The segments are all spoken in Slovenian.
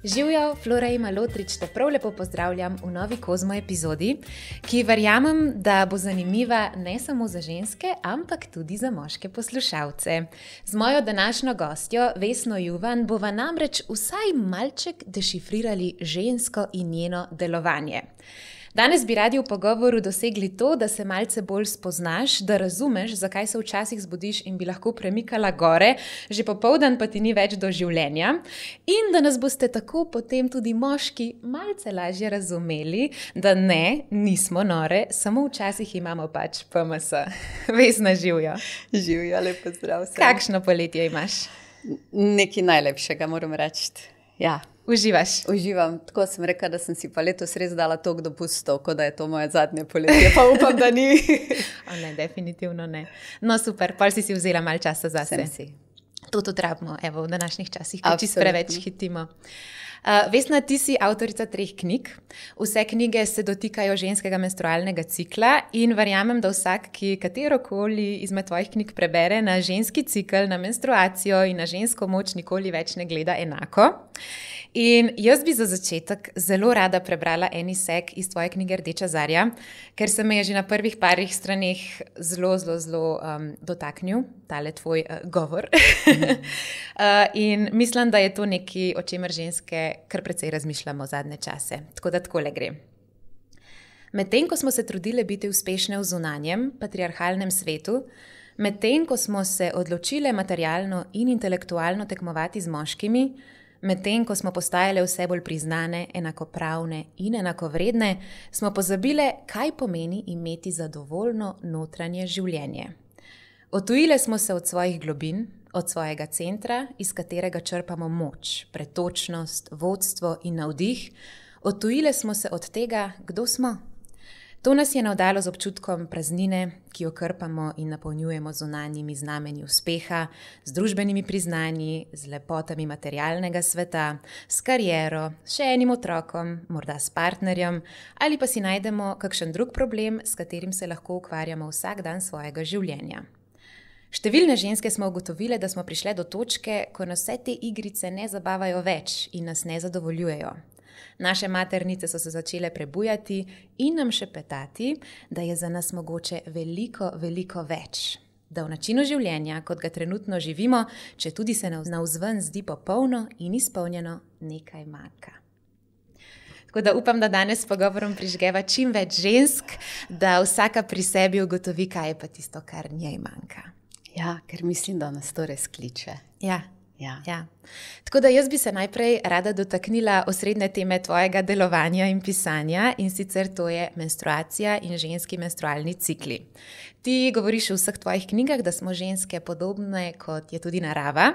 Živijo, Flora in Malotrič, te prav lepo pozdravljam v novi Kozmo epizodi, ki verjamem, da bo zanimiva ne samo za ženske, ampak tudi za moške poslušalce. Z mojo današnjo gostjo, Vesno Juvan, bova namreč vsaj malček dešifrirali žensko in njeno delovanje. Danes bi radi v pogovoru dosegli to, da se malce bolj spoznaš, da razumeš, zakaj se včasih zbudiš in bi lahko premikala gore, že popoldan pa ti ni več do življenja, in da nas boste tako potem tudi moški malce lažje razumeli, da ne, nismo nore, samo včasih imamo pač PMS. Vesna, živjo. Živjo, lepo zdrav vsem. Kakšno poletje imaš? Nekaj najlepšega, moram reči. Ja. Uživaš? Uživam. Tako sem rekla, da sem si pa letos res dala toliko dopustov, kot da je to moje zadnje poletje, pa upam, da ni. O ne, definitivno ne. No super, pol si vzela malo časa zase. Sem si. To tudi rabimo, evo, v današnjih časih, ko čisto preveč hitimo. Vesna, ti si avtorica 3 knjig. Vse knjige se dotikajo ženskega menstrualnega cikla in verjamem, da vsak, ki katerokoli izmed tvojih knjig prebere, na ženski cikl, na menstruacijo in na žensko moč nikoli več ne gleda enako. In jaz bi za začetek zelo rada prebrala en izsek iz tvoje knjige Rdeča zarja, ker se me je že na prvih parih straneh zelo dotaknil, tale tvoj govor. In mislim, da je to nekaj, o čemer ženske kar precej razmišljamo zadnje čase. Tako da takole gre. Medtem, ko smo se trudile biti uspešne v zunanjem, patriarhalnem svetu, medtem, ko smo se odločile materialno in intelektualno tekmovati z moškimi, medtem, ko smo postajale vse bolj priznane, enakopravne in enakovredne, smo pozabile, kaj pomeni imeti zadovoljno notranje življenje. Odtujile smo se od svojih globin, od svojega centra, iz katerega črpamo moč, pretočnost, vodstvo in navdih. Odtujile smo se od tega, kdo smo. To nas je navdalo z občutkom praznine, ki jo krpamo in napolnjujemo z zunanjimi znamenji uspeha, z družbenimi priznanji, z lepotami materialnega sveta, s kariero, še enim otrokom, morda s partnerjem, ali pa si najdemo kakšen drug problem, s katerim se lahko ukvarjamo vsak dan svojega življenja. Številne ženske smo ugotovile, da smo prišle do točke, ko nas vse te igrice ne zabavajo več in nas ne zadovoljujejo. Naše maternice so se začele prebujati in nam šepetati, da je za nas mogoče veliko, veliko več. Da v načinu življenja, kot ga trenutno živimo, če tudi se navzven zdi popolno in izpolnjeno, nekaj manjka. Tako da upam, da danes s pogovorom prižgeva čim več žensk, da vsaka pri sebi ugotovi, kaj je pa tisto, kar njej manjka. Ja, ker mislim, da nas to res kliče. Ja. Tako da jaz bi se najprej rada dotaknila osrednje teme tvojega delovanja in pisanja, in sicer to je menstruacija in ženski menstrualni cikli. Ti govoriš v vseh tvojih knjigah, da smo ženske podobne, kot je tudi narava,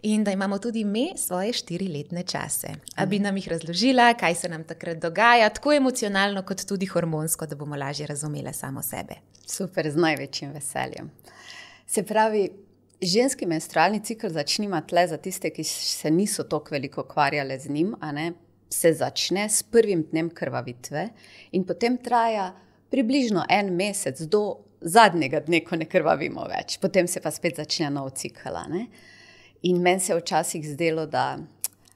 in da imamo tudi me svoje 4-letne čase. A bi nam jih razložila, kaj se nam takrat dogaja, tako emocionalno kot tudi hormonsko, da bomo lažje razumele samo sebe. Super, z največjim veseljem. Se pravi, ženski menstrualni cikl začnimo tle za tiste, ki se niso toliko veliko ukvarjale z njim, se začne s prvim dnem krvavitve in potem traja približno 1 mesec do zadnjega dne, ko ne krvavimo več. Potem se pa spet začne nov cikl. In meni se je včasih zdelo, da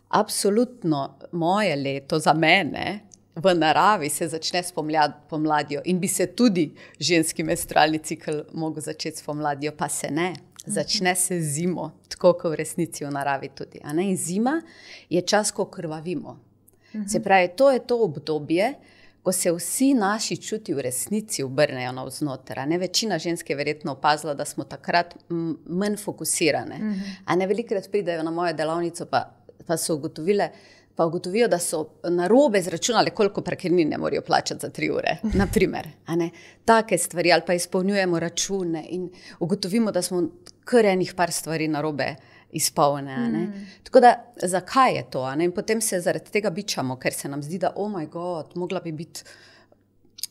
absolutno moje leto za mene v naravi se začne s pomladjo in bi se tudi ženski menstrualni cikl mogel začeti s pomladjo, pa se ne. Začne se zimo, tako kot v resnici v naravi tudi. In zima je čas, ko krvavimo. Se pravi, to je to obdobje, ko se vsi naši čuti v resnici obrnejo navznoter. Večina žensk je verjetno opazila, da smo takrat manj fokusirane. Velikokrat pridejo na mojo delavnico, pa so ugotovijo, da so narobe zračunali, koliko parkirnine morajo plačati za 3 ure, naprimer. Take stvari, ali pa izpolnjujemo račune in ugotovimo, da smo kar enih par stvari narobe izpolne. Tako da, zakaj je to? In potem se zaradi tega bičamo, ker se nam zdi, da oh my god, mogla bi biti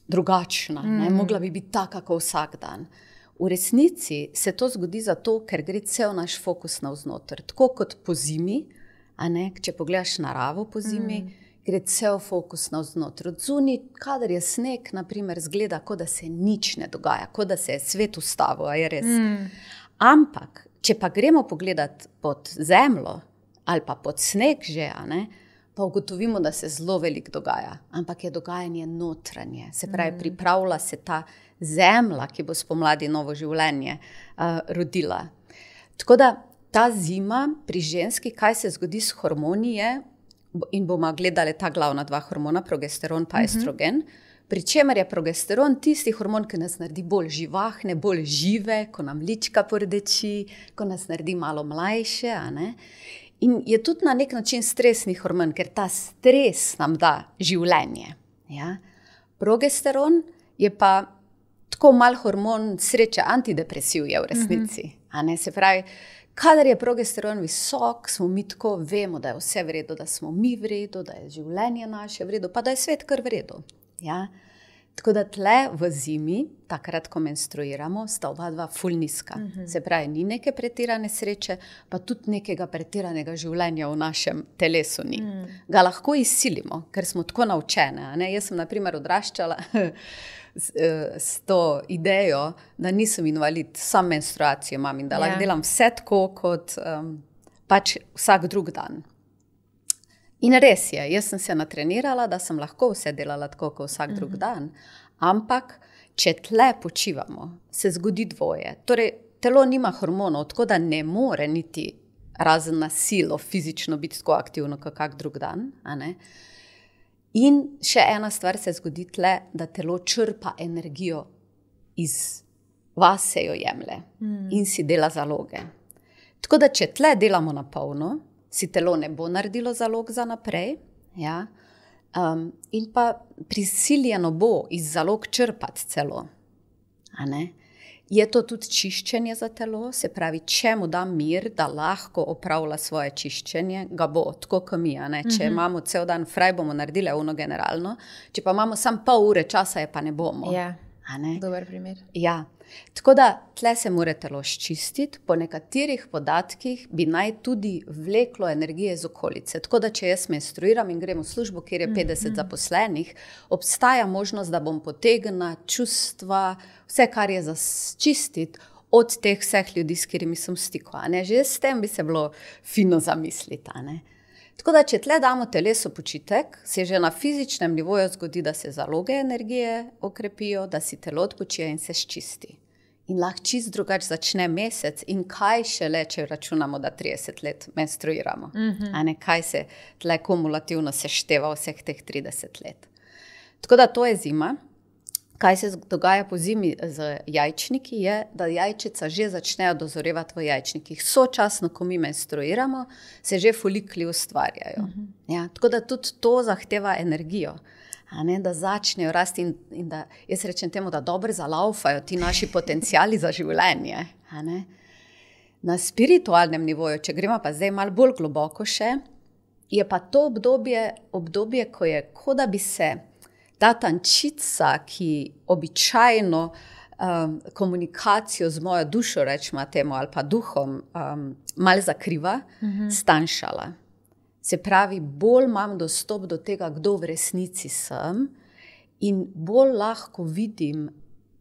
drugačna, mogla bi biti taka, kot vsak dan. V resnici se to zgodi zato, ker gre cel naš fokus navznoter. Tako kot po zimi, če pogledaš naravo po zimi, gre cel fokus navznoter. Od zunaj, kadar je sneg, naprimer, zgleda, kot da se nič ne dogaja, kot da se je svet ustavil, a je res. Ampak, če pa gremo pogledat pod zemljo ali pa pod sneg že, pa ugotovimo, da se zelo veliko dogaja, ampak je dogajanje notranje. Se pravi, pripravlja se ta zemlja, ki bo spomladi novo življenje rodila. Tako da ta zima pri ženski, kaj se zgodi s hormoni je, in bomo gledali ta glavna dva hormona, progesteron pa estrogen, pri čemer je progesteron tisti hormon, ki nas naredi bolj živahne, bolj žive, ko nam lička pordeči, ko nas naredi malo mlajše, a ne? In je tudi na nek način stresni hormon, ker ta stres nam da življenje. Ja? Progesteron je pa tako mal hormon sreče, antidepresiv je v resnici. A ne? Se pravi, kadar je progesteron visok, smo mi tako, vemo, da je vse v redu, da smo mi v redu, da je življenje naše v redu, pa da je svet kar v redu. Ja? Tako da tle v zimi, takrat, ko menstruiramo, sta oba dva ful nizka. Se pravi, ni neke pretirane sreče, pa tudi nekega pretiranega življenja v našem telesu ni. Ga lahko izsilimo, ker smo tako naučene. Ne? Jaz sem, na primer, odraščala s to idejo, da nisem invalid, sam menstruacijo imam in da lahko delam vse tako, kot pač vsak drug dan. In res je, jaz sem se natrenirala, da sem lahko vse delala tako, kot vsak drug dan, ampak če tle počivamo, se zgodi dvoje. Torej, telo nima hormonov, tako da ne more niti razen na silo fizično biti tako aktivno, kot kak drug dan. A ne? In še ena stvar se zgodi tle, da telo črpa energijo iz vas, se jo jemlje in si dela zaloge. Tako da, če tle delamo na polno, si telo ne bo naredilo zalog za naprej, ja? In pa prisiljeno bo iz zalog črpati celo. A ne? Je to tudi čiščenje za telo, se pravi, če mu da mir, da lahko opravlja svoje čiščenje, ga bo, tako kot mi. A ne? Če imamo cel dan fraj, bomo naredili ono generalno, če pa imamo samo pol ure časa, je pa ne bomo. Ja, dober primer. Ja. Tako da tle se mora telo ščistiti, po nekaterih podatkih bi naj tudi vleklo energije iz okolice. Tako da, če jaz menstruiram in grem v službo, kjer je 50 zaposlenih, obstaja možnost, da bom potegnila čustva, vse, kar je za čistiti od teh vseh ljudi, s katerimi sem v stiku. Že s tem bi se bilo fino zamisliti. Tako da, če tle damo telesu počitek, se že na fizičnem nivoju zgodi, da se zaloge energije okrepijo, da si telo odpočije in se ščisti. In lahko čist drugače začne mesec in kaj šele, če računamo, da 30 let menstruiramo. A ne, kaj se tle kumulativno sešteva vseh teh 30 let. Tako da to je zima. Kaj se dogaja po zimi z jajčniki je, da jajčica že začnejo dozorevati v jajčnikih. Sočasno, ko mi menstruiramo, se že folikli ustvarjajo. Ja, tako da tudi to zahteva energijo, a ne, da začnejo rasti in da, jaz rečem temu, da dobro zalaufajo ti naši potenciali za življenje. A ne. Na spiritualnem nivoju, če gremo pa zdaj malo bolj globoko še, je pa to obdobje, ko je, kot da bi se ta tančica, ki običajno komunikacijo z mojo dušo, rečemo temu, ali pa duhom, malo zakriva, stanjšala. Se pravi, bolj imam dostop do tega, kdo v resnici sem in bolj lahko vidim,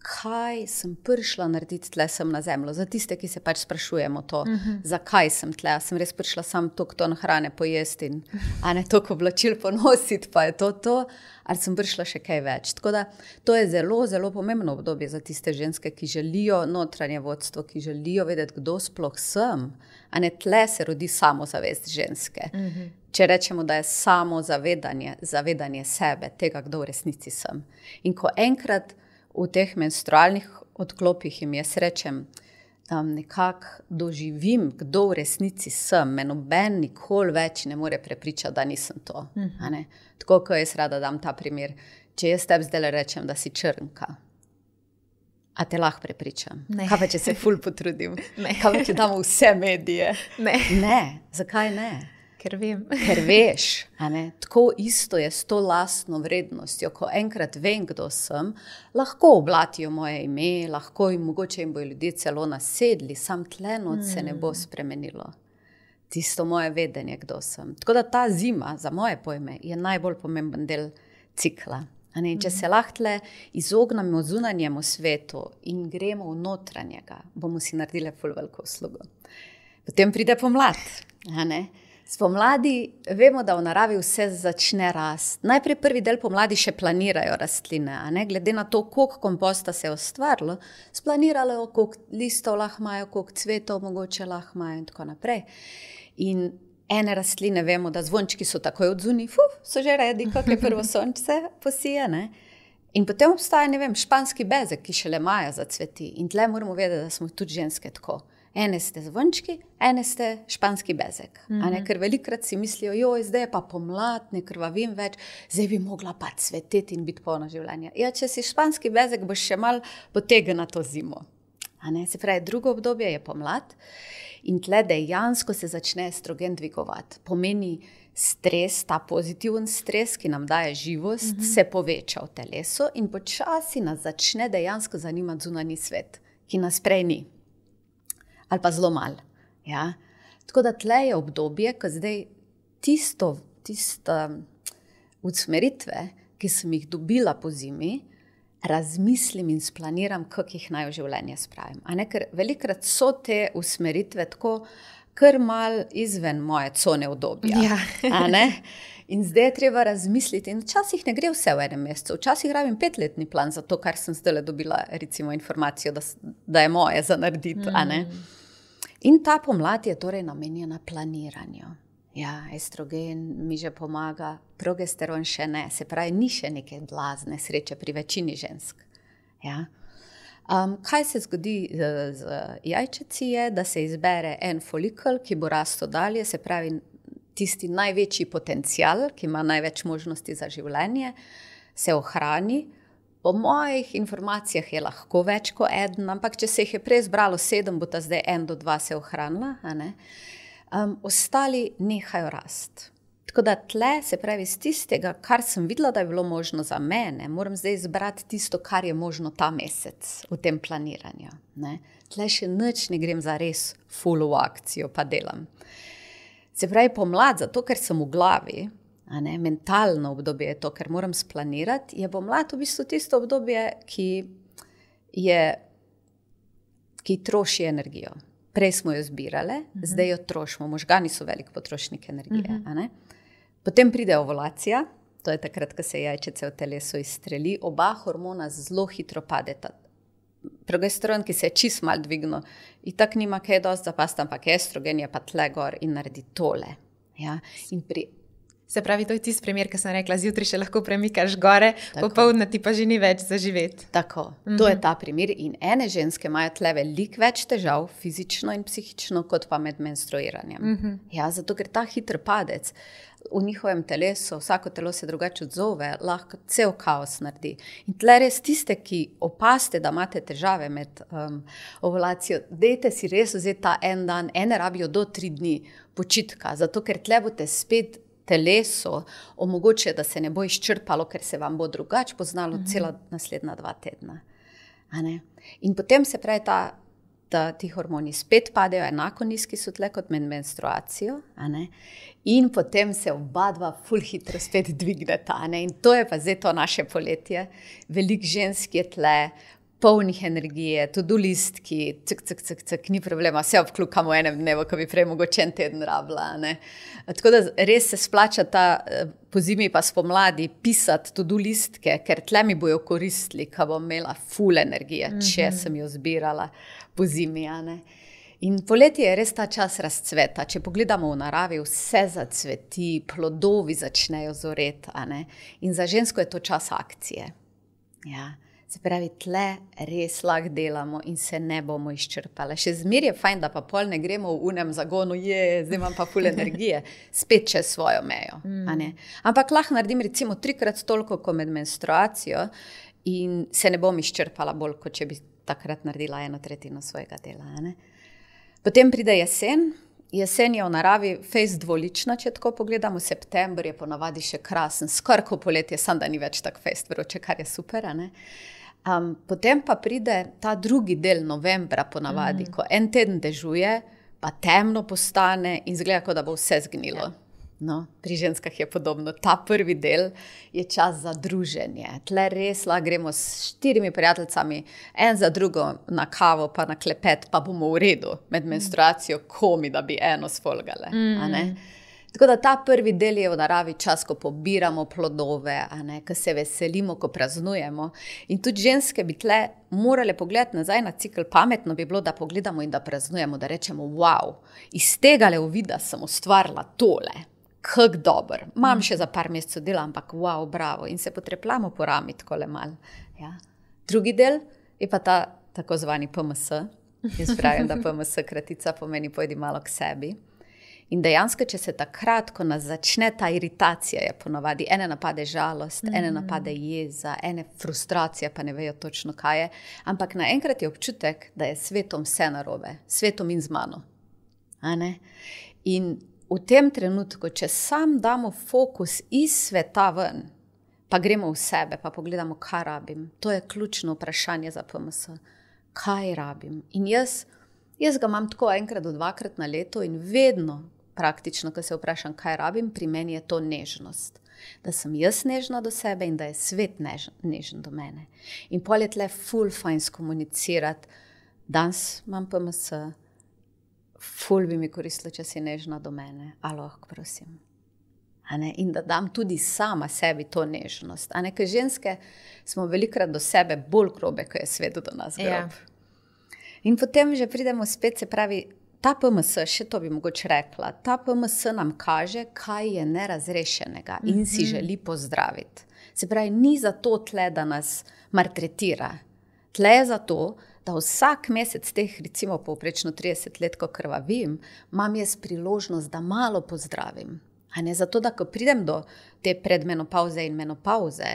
kaj sem prišla narediti tle sem na zemljo. Za tiste, ki se pač sprašujemo to, zakaj sem tle. Sem res prišla sam toliko ton hrane pojesti in ne toliko oblačil ponositi, pa je to, ali sem prišla še kaj več. Tako da to je zelo, zelo pomembno obdobje za tiste ženske, ki želijo notranje vodstvo, ki želijo vedeti, kdo sploh sem. Tle se rodi samozavest ženske. Če rečemo, da je zavedanje sebe, tega, kdo v resnici sem. In ko enkrat v teh menstrualnih odklopih jim jaz rečem, nekako doživim, kdo v resnici sem, me noben nikoli več ne more prepričati, da nisem to. Tako, ko jaz rada dam ta primer, če jaz tebi zdaj rečem, da si črnka, a te lahko prepričam? Ne. Kaj pa, če se ful potrudim? Ne. Kaj pa, če damo vse medije? Ne. Zakaj ne? Ker vem. Ker veš, tako isto je s to lastno vrednostjo. Ko enkrat vem, kdo sem, lahko oblatijo moje ime, lahko jim mogoče jim bojo ljudje celo nasedli, sam tle noč se ne bo spremenilo. Tisto moje vedenje, kdo sem. Tako da ta zima, za moje pojme, je najbolj pomemben del cikla. Če se lahko tle izognemo zunanjemu svetu in gremo v notranjega, bomo si naredili ful veliko uslugo. Potem pride pomlad, Spomladi vemo, da v naravi vse začne rasti. Najprej prvi del pomladi še planirajo rastline, a ne? Glede na to, koliko komposta se je ustvarilo, splaniralo, koliko listov lahko imajo, koliko cvetov mogoče lahko imajo in tako naprej. In ene rastline vemo, da zvončki so takoj odzuni, so že redi, kako je prvo sončce posije, ne? In potem obstaja, ne vem, španski bezek, ki šele maja zacveti. In tle moramo vedeti, da smo tudi ženske tako. Ene ste zvončki, ene ste španski bezek. A ne? Ker velikrat si mislijo, joj, zdaj je pa pomlad, ne krvavim več, zdaj bi mogla pa cveteti in biti polna življenja. Ja, če si španski bezek, boš še mal potegnila to zimo. A ne? Se pravi, drugo obdobje je pomlad in tle dejansko se začne estrogen dvigovati. Pomeni stres, ta pozitiven stres, ki nam daje živost, se poveča v telesu in počasi nas začne dejansko zanimati zunanji svet, ki nas prej ni. Ali pa zelo malo. Ja? Tako da tle je obdobje, ko zdaj tiste usmeritve, ki sem jih dobila po zimi, razmislim in splaniram, kako jih naj v življenje spravim. A ne? Ker velikrat so te usmeritve tako kar mal izven moje cone obdobja. Ja. A ne? In zdaj je treba razmisliti. In včasih ne gre vse v enem mesecu. Včasih rabim 5-letni plan za to, kar sem zdaj dobila, recimo, informacijo, da je moje za narediti. A ne? In ta pomlad je torej namenjena planiranju. Ja, estrogen mi že pomaga, progesteron še ne. Se pravi, ni še neke blazne sreče pri večini žensk. Ja. Kaj se zgodi z jajčeci je, da se izbere en folikel, ki bo rastel dalje, se pravi tisti največji potencial, ki ima največ možnosti za življenje, se ohrani. Po mojih informacijah je lahko več kot eden, ampak če se jih je prej zbralo 7, bo ta zdaj 1 do 2 se ohranila. A ne? Ostali nehajo rasti. Tako da tle, se pravi, z tistega, kar sem videla, da je bilo možno za mene, moram zdaj izbrati tisto, kar je možno ta mesec v tem planiranju. Ne? Tle še nič ne grem za res full v akcijo, pa delam. Se pravi, pomlad, zato ker sem v glavi, a ne, mentalno obdobje je to, ker moram splanirati, je pomlad v bistvu tisto obdobje, ki troši energijo. Prej smo jo zbirale, zdaj jo trošimo. Možgani so velik potrošnik energije. A ne? Potem pride ovulacija, to je takrat, ko se jajčece v telesu izstreli. Oba hormona zelo hitro padeta. Progesteron, ki se je čist mal dvignil, in tak nima kaj dosti zapasti, ampak estrogen je pa tle gor in naredi tole. Ja? In Se pravi, to je tisti primer, ki sem rekla, zjutraj še lahko premikaš gore, popoldne ti pa že ni več za živeti. Tako, to je ta primer in ene ženske imajo tle veliko več težav, fizično in psihično, kot pa med menstruiranjem. Ja, zato ker ta hiter padec v njihovem telesu, vsako telo se drugače odzove, lahko cel kaos naredi. In tle res tiste, ki opazite, da imate težave med ovulacijo, dejte si res vzeti ta en dan, ene rabijo do 3 dni počitka, zato ker tle boste spet teleso omogoče, da se ne bo izčrpalo, ker se vam bo drugače poznalo cela naslednja 2 tedna. A ne? In potem se pravi, ti hormoni spet padejo, enako nizki so tle kot med menstruacijo, a ne? In potem se oba dva ful hitro spet dvigneta. A ne? In to je pa zdaj to naše poletje. Veliko žensk je tle, polnih energije, to-do listki, ni problema, vse obklukamo v enem dnevu, ko bi prej mogoče en teden rabila. Ne? Tako da res se splača po zimi pa spomladi pisati to-do listke, ker tle mi bojo koristili, ko bom imela ful energije, če sem jo zbirala po zimi. A ne? In poletje je res ta čas razcveta. Če pogledamo v naravi, vse zacveti, plodovi začnejo zoreti. A ne? In za žensko je to čas akcije. Ja. Se pravi, tle res lahko delamo in se ne bomo izčrpali. Še zmer je fajn, da pa pol ne gremo v unem zagonu, zdaj imam pa ful energije, spet čez svojo mejo. A ne? Ampak lahko naredim recimo 3-krat toliko kot med menstruacijo in se ne bom izčrpala bolj, kot če bi takrat naredila 1/3 svojega dela. A ne? Potem pride jesen. Jesen je v naravi fejst dvolična, če tako pogledamo. September je ponavadi še krasen, skoraj kot poletje, samo da ni več tak fejst vroče, kar je super. A ne? Potem pa pride ta drugi del novembra ponavadi, ko en teden dežuje, pa temno postane in izgleda, kot da bo vse zgnilo. No, pri ženskah je podobno. Ta prvi del je čas za druženje. Tle res lahko gremo s 4 prijateljicami, en za drugo na kavo, pa na klepet, pa bomo v redu med menstruacijo, komi, da bi eno sfolgale. A ne? Tako da ta prvi del je v naravi čas, ko pobiramo plodove, ko se veselimo, ko praznujemo. In tudi ženske bi tle morale pogledati nazaj na cikl. Pametno bi bilo, da pogledamo in da praznujemo, da rečemo, wow, iz tega uvida sem ustvarila tole. Kako dober. Imam še za par mesecev dela, ampak wow, bravo. In se potrepljamo po rami takole mal. Ja. Drugi del je pa ta tako zvani PMS. Jaz pravim, da PMS kratica pomeni pojdi malo k sebi. In dejansko, če se takrat, ko nas začne ta iritacija, je ponovadi, ene napade žalost, ene napade jeza, ene frustracija, pa ne vejo točno kaj je, ampak naenkrat je občutek, da je svetom vse narobe, svetom in z mano. In v tem trenutku, če sam damo fokus iz sveta ven, pa gremo v sebe, pa pogledamo, kaj rabim, to je ključno vprašanje za PMS. Kaj rabim? In jaz ga imam tako enkrat do dvakrat na leto in vedno, praktično, ko se vprašam, kaj rabim, pri meni je to nežnost. Da sem jaz nežna do sebe in da je svet nežen do mene. In pol je tle ful fajn skomunicirati, danes imam PMS, ful bi mi koristilo, če si nežna do mene, a lahko prosim. In da dam tudi sama sebi to nežnost. Ker ženske smo velikrat do sebe bolj grobe, ko je svet do nas grob. Ja. In potem že pridemo spet, se pravi, ta PMS, še to bi mogoče rekla, ta PMS nam kaže, kaj je nerazrešenega in si želi pozdraviti. Se pravi, ni zato tle, da nas maltretira. Tle je zato, da vsak mesec teh, recimo povprečno 30 let, ko krvavim, imam jaz priložnost, da malo pozdravim. Zato, da ko pridem do te predmenopauze in menopauze,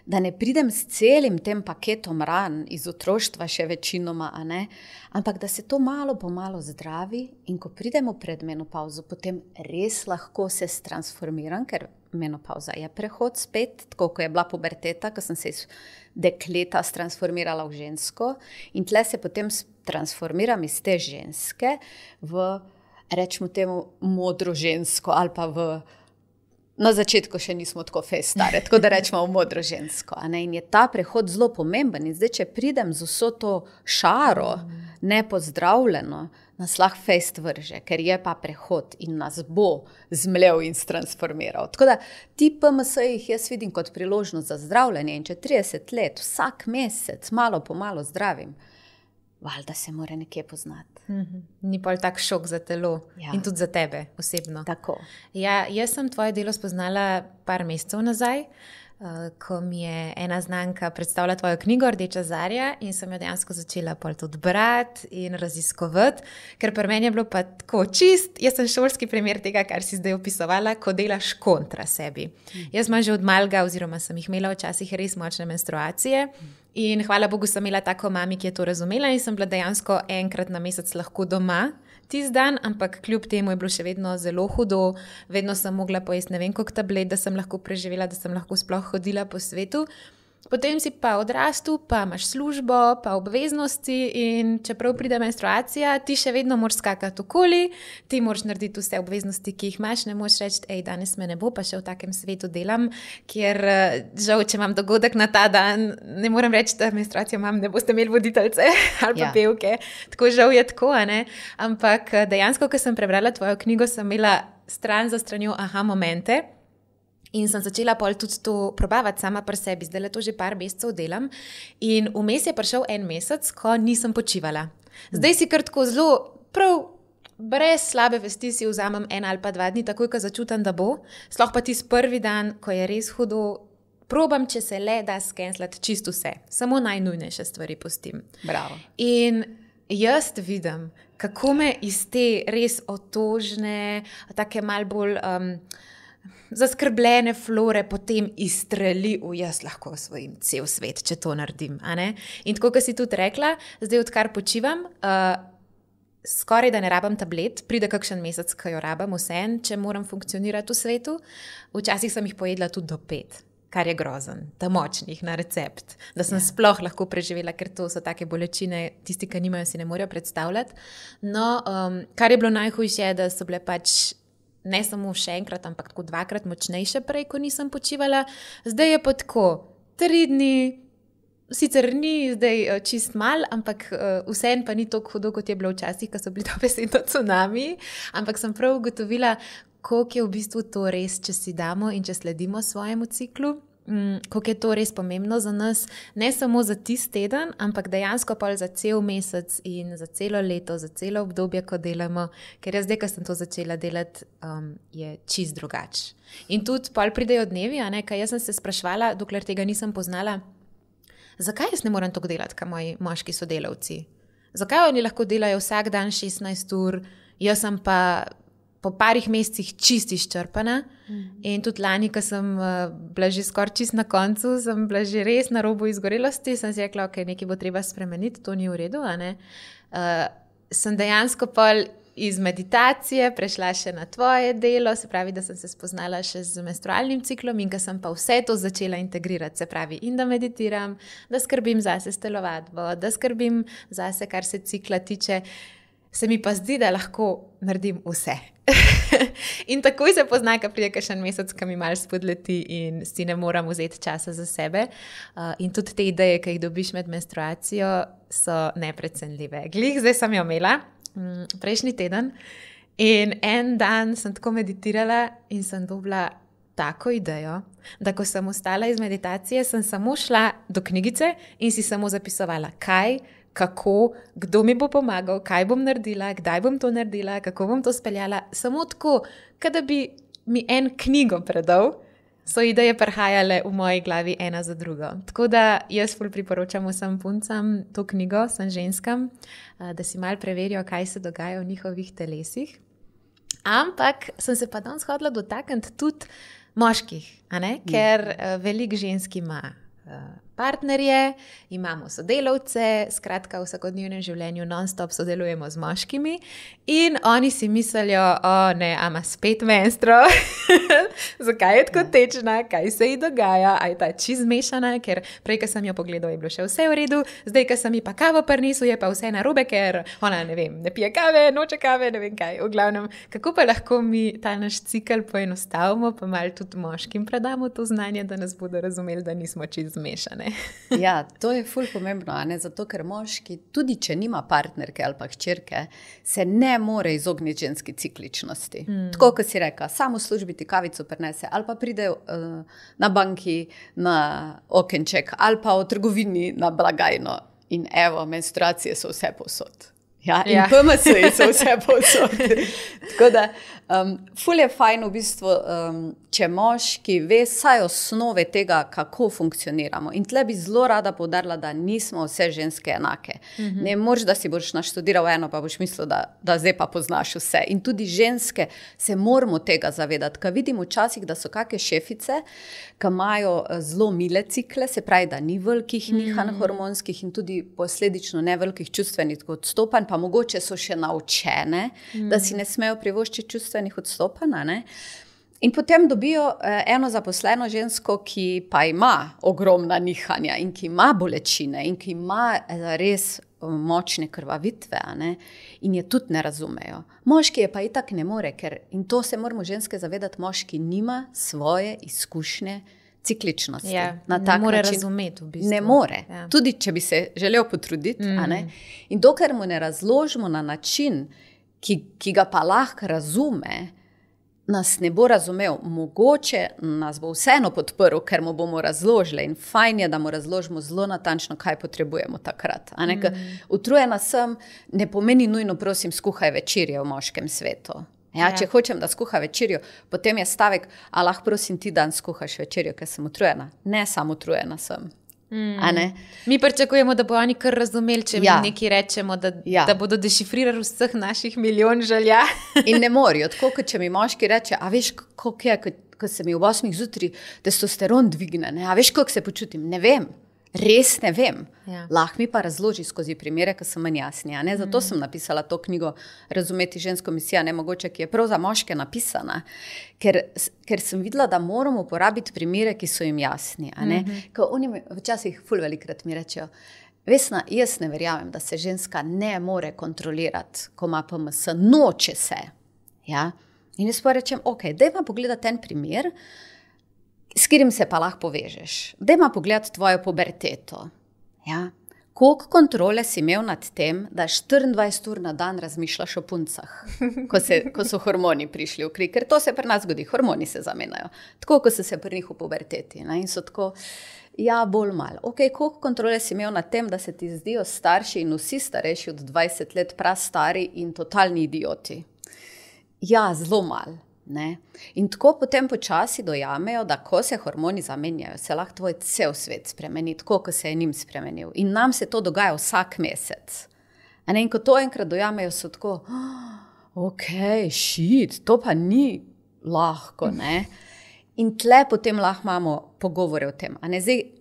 da ne pridem s celim tem paketom ran iz otroštva še večinoma, ampak da se to malo po malo zdravi in ko pridemo pred menopauzo, potem res lahko se transformiram, ker menopauza je prehod spet, tako ko je bila puberteta, ko sem se iz dekleta transformirala v žensko in tle se potem transformiram iz te ženske v rečemo temu modro žensko ali pa na začetku še nismo tako stare, tako da rečemo v modro žensko. In je ta prehod zelo pomemben. In zdaj, če pridem z vso to šaro, nepozdravljeno, nas lahko fejst vrže, ker je pa prehod in nas bo zmlel in transformiral. Tako da ti PMS-jih jaz vidim kot priložnost za zdravljenje in če 30 let, vsak mesec, malo po malo zdravim, valjda se mora nekje poznati. Ni pa tak šok za telo in tudi za tebe osebno. Tako. Ja, jaz sem tvoje delo spoznala par mesecev nazaj, ko mi je ena znanka predstavila tvojo knjigo Rdeča zarja in sem jo dejansko začela pol tudi brati in raziskovati, ker pri meni je bilo pa tako čist, jaz sem šolski primer tega, kar si zdaj opisovala, ko delaš kontra sebi. Jaz imam že od malega, oziroma sem jih imela včasih res močne menstruacije in hvala Bogu sem imela tako mami, ki je to razumela in sem bila dejansko enkrat na mesec lahko doma tisti dan, ampak kljub temu je bilo še vedno zelo hudo, vedno sem mogla pojesti ne vem koliko tablet, da sem lahko preživela, da sem lahko sploh hodila po svetu. Potem si pa odrastu, pa imaš službo, pa obveznosti in čeprav pride menstruacija, ti še vedno moraš skakati okoli, ti moraš narediti vse obveznosti, ki jih imaš, ne moraš reči, danes me ne bo, pa še v takem svetu delam, kjer žal, če imam dogodek na ta dan, ne morem reči, da menstruacijo imam, ne boste imeli voditeljce ali pa pevke. Tako žal je tako, ampak dejansko, ko sem prebrala tvojo knjigo, sem imela stran za stranjo momente, in sem začela pol tudi to probavati sama pri sebi. Zdaj to že par mesecev delam in vmes je prišel en mesec, ko nisem počivala. Zdaj si kar tako zelo, prav brez slabe vesti si vzamem 1 ali pa 2 dni, takoj, ko začutam, da bo. Sploh pa tisti prvi dan, ko je res hudo, probam, če se le da skenslati čisto vse. Samo najnujnejše stvari pustim. Bravo. In jaz vidim, kako me iz te res otožne, take mal bolj zaskrbljene flore potem izstreli jaz lahko osvojim cel svet, če to naredim. In tako, kot si tudi rekla, zdaj odkar počivam, skoraj da ne rabam tablet, pride kakšen mesec, ko jo rabam vseeno, če moram funkcionirati v svetu. Včasih sem jih pojedla tudi do 5, kar je grozen, ta močnih na recept, da sem sploh lahko preživela, ker to so take bolečine, tisti, ki nimajo, si ne morejo predstavljati. No, kar je bilo najhujše, da so bile pač ne samo še enkrat, ampak tako 2-krat močnejše prej, ko nisem počivala. Zdaj je pa tako 3 dni, sicer ni zdaj čist mal, ampak vseeno pa ni tako hudo, kot je bilo včasih, ko so bili dobesedno tsunami, ampak sem prav ugotovila, koliko je v bistvu to res, če si damo in če sledimo svojemu ciklu, koliko je to res pomembno za nas, ne samo za tisti teden, ampak dejansko pa za cel mesec in za celo leto, za celo obdobje, ko delamo, ker jaz zdaj, ko sem to začela delati, je čist drugače. In tudi pol pridejo dnevi, kaj jaz sem se sprašvala, dokler tega nisem poznala, zakaj jaz ne moram tako delati, kot moji moški sodelavci? Zakaj oni lahko delajo vsak dan 16 ur, jaz sem pa po parih mesecih čist izčrpana. In tudi lani, ko sem bila že skoraj čist na koncu, sem bila že res na robu izgorelosti, sem si rekla, ok, nekaj bo treba spremeniti, to ni v redu. Sem dejansko pol iz meditacije prešla še na tvoje delo, se pravi, da sem se spoznala še z menstrualnim ciklom in ko sem pa vse to začela integrirati, se pravi, in da meditiram, da skrbim zase s telovadbo, da skrbim zase, kar se cikla tiče, se mi pa zdi, da lahko naredim vse. In takoj se pozna, ko pride kakšen mesec, ko mi malo spodleti in si ne moram vzeti časa za sebe. In tudi te ideje, ki jih dobiš med menstruacijo, so neprecenljive. Glih, zdaj sem jo imela, prejšnji teden, in en dan sem tako meditirala in sem dobila tako idejo, da ko sem ostala iz meditacije, sem samo šla do knjigice in si samo zapisovala, kaj, kako, kdo mi bo pomagal, kaj bom naredila, kdaj bom to naredila, kako bom to speljala. Samo tako, kada bi mi en knjigo predal, so ideje prihajale v moji glavi ena za drugo. Tako da jaz ful priporočam vsem puncam to knjigo, sem ženskam, da si malo preverijo, kaj se dogaja v njihovih telesih. Ampak sem se pa danes hodila dotakniti tudi moških, ker veliko žensk ima partnerje, imamo sodelavce, skratka v vsakodnevnem življenju non-stop sodelujemo z moškimi in oni si mislijo, ne, ama spet menstro, zakaj je tako tečna, kaj se ji dogaja, a je ta čist zmešana, ker prej, ko sem jo pogledal, je bilo še vse v redu, zdaj, ko sem ji pa kavo prinesel, je pa vse narobe, ker ona, ne vem, ne pije kave, noče kave, ne vem kaj, v glavnem, kako pa lahko mi ta naš cikel poenostavimo, pa malo tudi moškim predamo to znanje, da nas bodo razumeli, da nismo čist zmešane. Ja, to je ful pomembno, zato ker moški, tudi če nima partnerke ali pa hčerke, se ne more izogniti ženski cikličnosti. Tako, kot si reka, samo v službi ti kavico prinese ali pa pride na banki na okenček ali pa v trgovini na blagajno in evo, menstruacije so vse povsod. Ja, in PMS-ji so vse povsod. Tako da, ful je fajn v bistvu, če moški ve saj osnove tega, kako funkcioniramo. In tle bi zelo rada poudarila, da nismo vse ženske enake. Ne moreš, da si boš naštudiral eno, pa boš mislil, da zdaj pa poznaš vse. In tudi ženske se moramo tega zavedati. Ko vidim včasih, da so kakšne šefice, ki imajo zelo mile cikle, se pravi, da ni velikih nihanj hormonskih in tudi posledično ne velikih čustvenih odstopanj, pa mogoče so še naučene, da si ne smejo privoščiti čustvenih odstopanj, in potem dobijo eno zaposleno žensko, ki pa ima ogromna nihanja in ki ima bolečine in ki ima res močne krvavitve, in je tudi ne razumejo. Moški je pa itak ne more, in to se moramo ženske zavedati, moški nima svoje izkušnje cikličnosti. Ja, ne more razumeti v bistvu. Ne more, tudi če bi se želel potruditi. In dokler mu ne razložimo na način, ki ga pa lahko razume, nas ne bo razumel. Mogoče nas bo vseeno podprl, ker mu bomo razložili in fajn je, da mu razložimo zelo natančno, kaj potrebujemo takrat. Utrujena sem, ne pomeni nujno, prosim, skuhaj večerje v moškem svetu. Če hočem, da skuha večerjo, potem je stavek, a lahko prosim ti dan skuhaš večerjo, ker sem utrujena. Ne, samo utrujena sem. Mi pričakujemo, da bo oni kar razumeli, če mi nekaj rečemo, da bodo dešifrirali vseh naših milijon želja. In ne morajo, tako kot če mi moški reče, a veš, kako je, ko se mi v 8 zjutraj testosteron dvigne, a veš, kako se počutim, ne vem. Res ne vem. Lahko mi pa razloži skozi primere, ki so manj jasni. Zato sem napisala to knjigo Razumeti žensko misijo, mogoče, ki je prav za moške napisana, ker sem videla, da moramo uporabiti primere, ki so jim jasni. Ko oni včasih ful velikrat mi rečejo, Vesna, jaz ne verjamem, da se ženska ne more kontrolirati, ko ima PMS, noče se. In jaz pa rečem, ok, dajmo pogledati en primer, s katerim se pa lahko povežeš. Dajmo pogledati tvojo puberteto. Koliko kontrole si imel nad tem, da 24 ur na dan razmišljaš o puncah, ko so hormoni prišli v kri, ker to se pri nas zgodi, hormoni se zamenjajo, tako kot so se pri njih v puberteti, ne? In so tako, ja, bolj malo. Koliko kontrole si imel nad tem, da se ti zdijo starši in vsi starejši od 20 let prastari in totalni idioti? Ja, zelo malo. Ne? In tako potem počasi dojamejo, da ko se hormoni zamenjajo, se lahko tvoj cel svet spremeni, tako kot se je njim spremenil. In nam se to dogaja vsak mesec. In ko to enkrat dojamejo, so tako, to pa ni lahko. Ne? In tle potem lahko imamo pogovore o tem. Zdaj,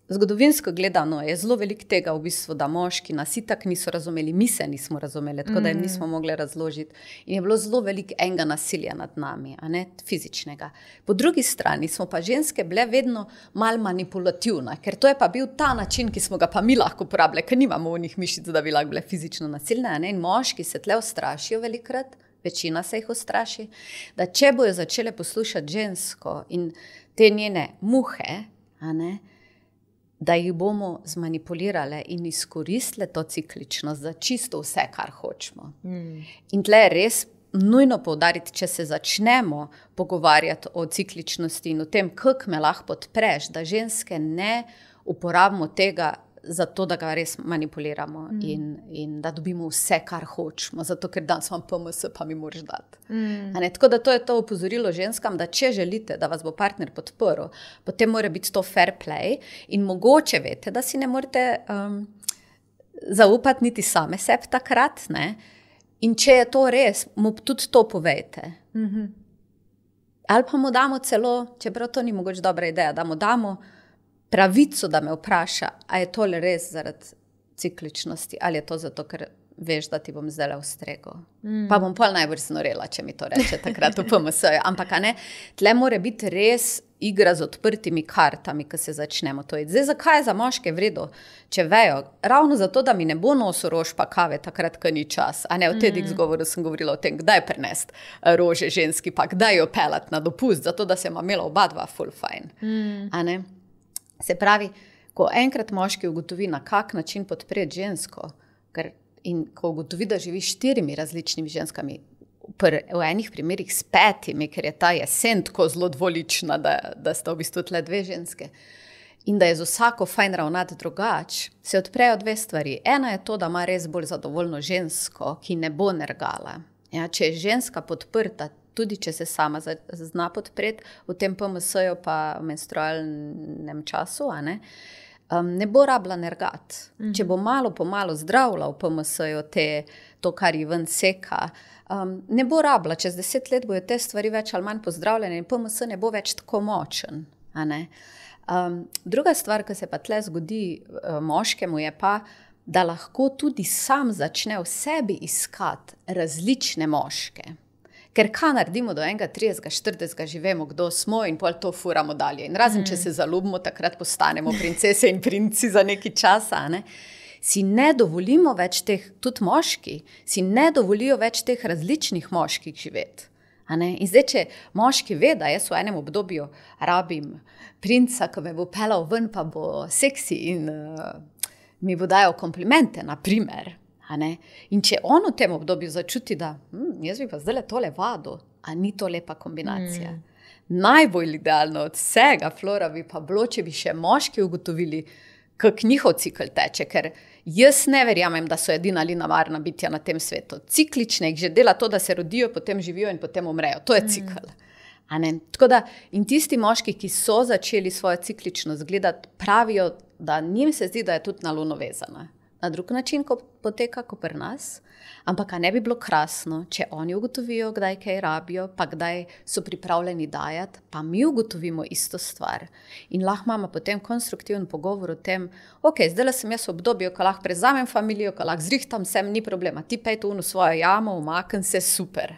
zgodovinsko gledano je zelo veliko tega v bistvu, da moški nas itak niso razumeli, mi se nismo razumeli, tako da jim nismo mogli razložiti. In je bilo zelo veliko enega nasilja nad nami, a ne fizičnega. Po drugi strani smo pa ženske bile vedno malo manipulativne, ker to je pa bil ta način, ki smo ga pa mi lahko uporabljali, ker nimamo onih mišic, da bi lahko bile fizično nasilne. In moški se tle ustrašijo velikrat, večina se jih ustraši, da če bojo začele poslušati žensko in te njene muhe, a ne, da jih bomo zmanipulirale in izkoristile to cikličnost za čisto vse, kar hočemo. In tle je res nujno poudariti, če se začnemo pogovarjati o cikličnosti in o tem, kako me lahko podpreš, da ženske ne uporabimo tega zato, da ga res manipuliramo in da dobimo vse, kar hočemo, zato ker danes imam PMS, pa mi moraš dati. Tako da to je to opozorilo ženskam, da če želite, da vas bo partner podprl, potem mora biti to fair play in mogoče veste, da si ne morete zaupati niti same sebi takrat, ne? In če je to res, mu tudi to povejte. Ali pa mu damo celo, čeprav to ni mogoče dobra ideja, da mu damo pravico, da me vpraša, a je tole res zaradi cikličnosti, ali je to zato, ker veš, da ti bom zdaj ustregel. Pa bom pol najbolj znorela, če mi to reče takrat v PMS-ju. Ampak tle mora biti res igra z odprtimi kartami, ko se začnemo to. Zdaj, zakaj je za moške vredo, če vejo? Ravno zato, da mi ne bo nosil rož pa kave takrat, ko ni čas. V TEDx govoru sem govorila o tem, kdaj prenesti rože ženski, pa kdaj jo pelati na dopust, zato da se ima imela oba dva full fajn. Se pravi, ko enkrat moški ugotovi, na kak način podpreti žensko, in ko ugotovi, da živi 4 različnimi ženskami, v enih primerih s 5, ker je ta jesen tako zelo dvolična, da sta v bistvu tle 2 ženske, in da je z vsako fajn ravnati drugače, se odprejo 2 stvari. Ena je to, da ima res bolj zadovoljno žensko, ki ne bo nergala. Ja, če je ženska podprta, tudi če se sama zna podpreti v tem PMS-ju pa v menstrualnem času, ne bo rabila nergati. Če bo malo po malo zdravila v PMS-ju to, kar ji ven seka, ne bo rabila. Čez 10 let bojo te stvari več ali manj pozdravljene in PMS ne bo več tako močen. Druga stvar, ki se pa tle zgodi moškemu, je pa, da lahko tudi sam začne v sebi iskati različne moške. Ker kaj naredimo do 30, 40, živemo, kdo smo in pol to furamo dalje. In razen, če se zaljubimo, takrat postanemo princese in princi za nekaj časa, si ne dovolimo več teh, tudi moški, si ne dovolijo več teh različnih moških živeti. In zdaj, če moški ve, da jaz v enem obdobju rabim princa, ki me bo pelal ven, pa bo seksi in mi bo dajal komplimente, na primer. In če on v tem obdobju začuti, da jaz bi pa zdaj tole vadil, a ni to lepa kombinacija. Najbolj idealno od vsega, Flora, bi pa bilo, če bi še moški ugotovili, kak njihov cikl teče, ker jaz ne verjamem, da so edina linearna bitja na tem svetu. Ciklične jih že dela to, da se rodijo, potem živijo in potem umrejo. To je cikl. Tako da, in tisti moški, ki so začeli svojo cikličnost gledati, pravijo, da njim se zdi, da je tudi na luno vezana. Na drug način, ko poteka, kot pri nas, ampak ne bi bilo krasno, če oni ugotovijo, kdaj kaj rabijo, pa kdaj so pripravljeni dajati, pa mi ugotovimo isto stvar. In lahko imamo potem konstruktiven pogovor o tem, zdaj sem jaz v obdobju, ko lahko prezamem familijo, ko lahko zrihtam, sem ni problema, ti pejte v svojo jamo, umaknem se, super.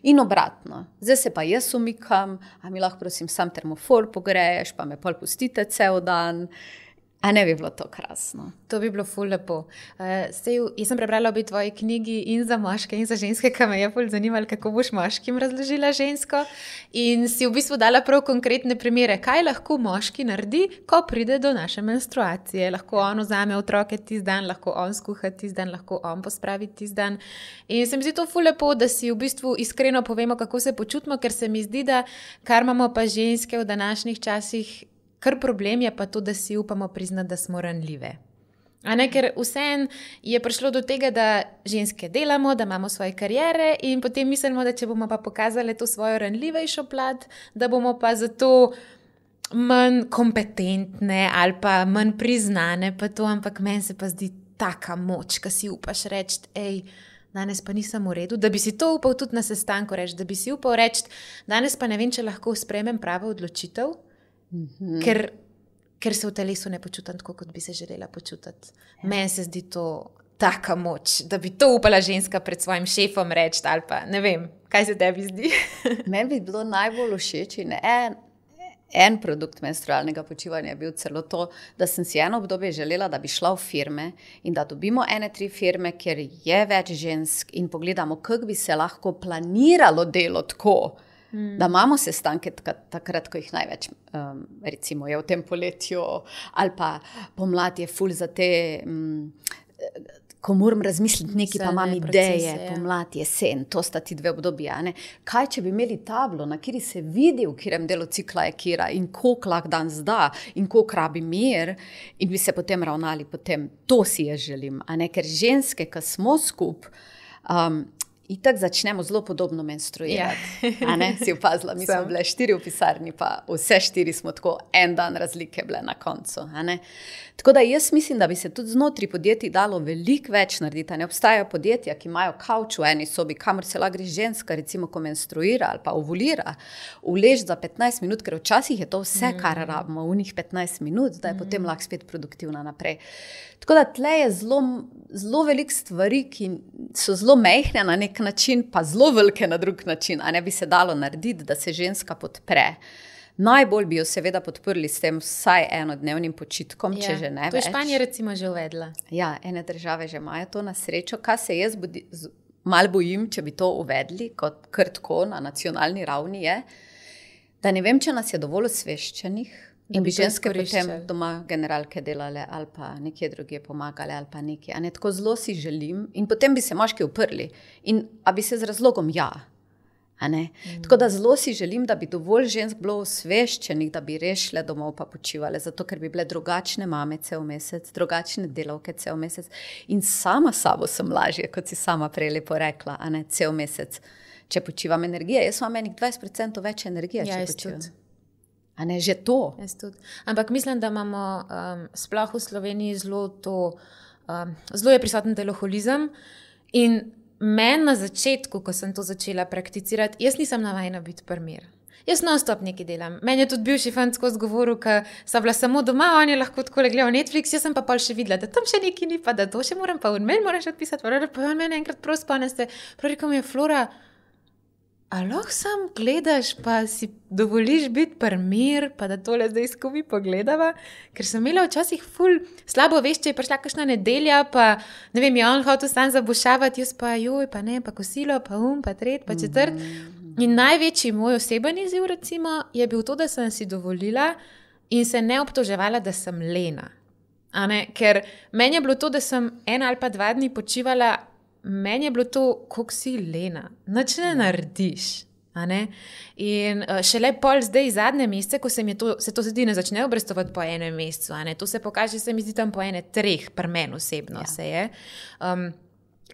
In obratno, zdaj se pa jaz umikam, a mi lahko prosim sam termofor pogreješ, pa me pol pustite cel dan. A ne bi bilo to krasno? To bi bilo ful lepo. Jaz sem prebrala obi tvoji knjigi in za moške in za ženske, ki me je ful zanimalo, kako boš moškim razložila žensko. In si v bistvu dala prav konkretne primere, kaj lahko moški naredi, ko pride do naše menstruacije. Lahko on vzame otroke tisti dan, lahko on skuha tisti dan, lahko on pospravi tisti dan. In se mi zdi to ful lepo, da si v bistvu iskreno povemo, kako se počutimo, ker se mi zdi, da kar imamo pa ženske v današnjih časih, kar problem je pa to, da si upamo priznati, da smo ranljive. Ker vseeno je prišlo do tega, da ženske delamo, da imamo svoje kariere in potem mislimo, da če bomo pa pokazali to svojo ranljivejšo plat, da bomo pa zato manj kompetentne ali pa manj priznane, pa to, ampak meni se pa zdi taka moč, ko si upaš reči, danes pa nisem v redu, da bi si to upal tudi na sestanku reči, da bi si upal reči, danes pa ne vem, če lahko sprejmem pravo odločitev, ker se v telesu ne počutam tako, kot bi se želela počutiti. Meni se zdi to taka moč, da bi to upala ženska pred svojim šefom reči ali pa ne vem, kaj se tebi zdi. Meni bi bilo najbolj všeč in en produkt menstrualnega počivanja je bil celo to, da sem si eno obdobje želela, da bi šla v firme in da dobimo 3 firme, kjer je več žensk in pogledamo, kako bi se lahko planiralo delo tako, da imamo sestanke takrat, ko jih največ, recimo je v tem poletju ali pa pomlad je ful za te, ko moram razmisliti nekaj, pa imam ideje, pomlad, jesen, to sta ti 2 obdobja. Kaj, če bi imeli tablo, na kjer se vidi, v katerem delu cikla je kira in koliko lahko dan zda in koliko rabi mir in bi se potem ravnali potem. To si jaz želim, ker ženske, ki smo skup, itak začnemo zelo podobno menstruirati. Si opazila, mi smo bile 4 v pisarni, pa vse 4 smo tako en dan razlike bile na koncu. Tako da jaz mislim, da bi se tudi znotraj podjetij dalo veliko več narediti. Ne obstajajo podjetja, ki imajo kavč v eni sobi, kamor se lahko gre ženska, recimo, ko menstruira ali pa ovulira, ulež za 15 minut, ker včasih je to vse, kar rabimo, v njih 15 minut, da je potem lahko spet produktivna naprej. Tako da tle je zelo veliko stvari, ki so zelo mehne na nek način, pa zelo velike na drug način, a ne bi se dalo narediti, da se ženska podpre. Najbolj bi jo seveda podprli s tem vsaj enodnevnim počitkom, če že ne več. To je Španija recimo že uvedla. Ja, ene države že imajo to na srečo. Kaj se jaz malo bojim, če bi to uvedli, kot kar tako na nacionalni ravni je, da ne vem, če nas je dovolj osveščenih in bi ženske potem doma generalke delale ali pa nekje drugje pomagale ali pa nekje. Tako zelo si želim in potem bi se moški uprli. In a bi se z razlogom Tako da zelo si želim, da bi dovolj žensk bilo osveščenih, da bi rešile domov pa počivale, zato ker bi bile drugačne mame cel mesec, drugačne delavke cel mesec in sama sabo sem lažje, kot si sama prej lepo rekla, cel mesec, če počivam energije. Jaz imam enih 20% več energije, če počivam. Že to. Ampak mislim, da imamo sploh v Sloveniji zelo je prisoten teloholizem in meni na začetku, ko sem to začela prakticirati, jaz nisem navajena biti primer. Jaz non-stop nekaj delam. Meni je tudi bivši fant skozi govoril, ko sta bila samo doma, on je lahko tako gledal Netflix, jaz sem pa pol še videla, da tam še nekaj ni, pa da to še moram, pa meni moram še odpisati, pa on meni enkrat prav spomnite, prav rekel mi je, Flora, a lahko sam gledaš, pa si dovoliš biti primer, pa da tole zdaj skupaj pogledava, ker sem imela včasih ful slabo vest, če je prišla kakšna nedelja, pa ne vem, je on hotel sam zabušavati, jaz pa pa ne, pa kosilo, pa pa tret, pa četrt. In največji moj oseben izziv recimo je bil to, da sem si dovolila in se ne obtoževala, da sem lena. Ker meni je bilo to, da sem 1 ali pa 2 dni počivala, meni je bilo to, koliko si lena, nič ne narediš. In šele pol zdaj zadnje mesece, ko se to zdi ne začne obrestovati po 1 mesecu, to se pokaže, se mi zdi tam po 3, pri meni osebno se je.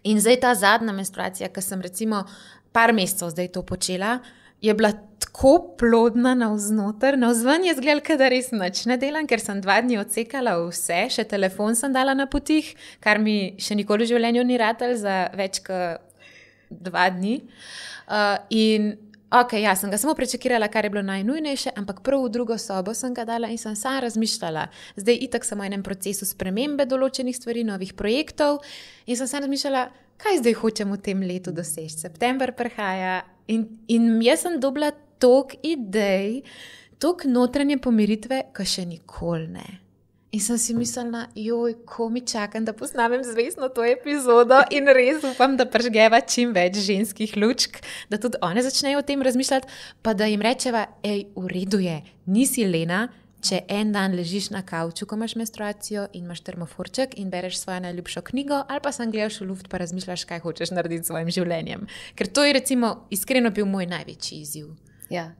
In zdaj ta zadnja menstruacija, ko sem recimo par mesecev zdaj to počela, je bila tako plodna navznoter, navzven je izgledala, da res nič ne delam, ker sem 2 dni odsekala vse, še telefon sem dala na potih, kar mi še nikoli v življenju ni ratal za več kot 2 dni. Sem ga samo prečekirala, kar je bilo najnujnejše, ampak prav v drugo sobo sem ga dala in sem sama razmišljala. Zdaj itak sem v enem procesu spremembe določenih stvari, novih projektov in sem sama razmišljala, kaj zdaj hočem v tem letu doseči. September prihaja in jaz sem dobila toliko idej, toliko notranje pomiritve, ko še nikoli ne. In sem si mislila, ko mi čakam, da posnamem zvestno to epizodo in res upam, da pržgeva čim več ženskih lučk, da tudi one začnejo o tem razmišljati, pa da jim rečeva, v redu je, nisi lena, če en dan ležiš na kavču, ko imaš menstruacijo in imaš termoforček in bereš svojo najljubšo knjigo, ali pa sam gledaš v luft pa razmišljaš, kaj hočeš narediti s svojim življenjem. Ker to je recimo iskreno bil moj največji izziv. Ja.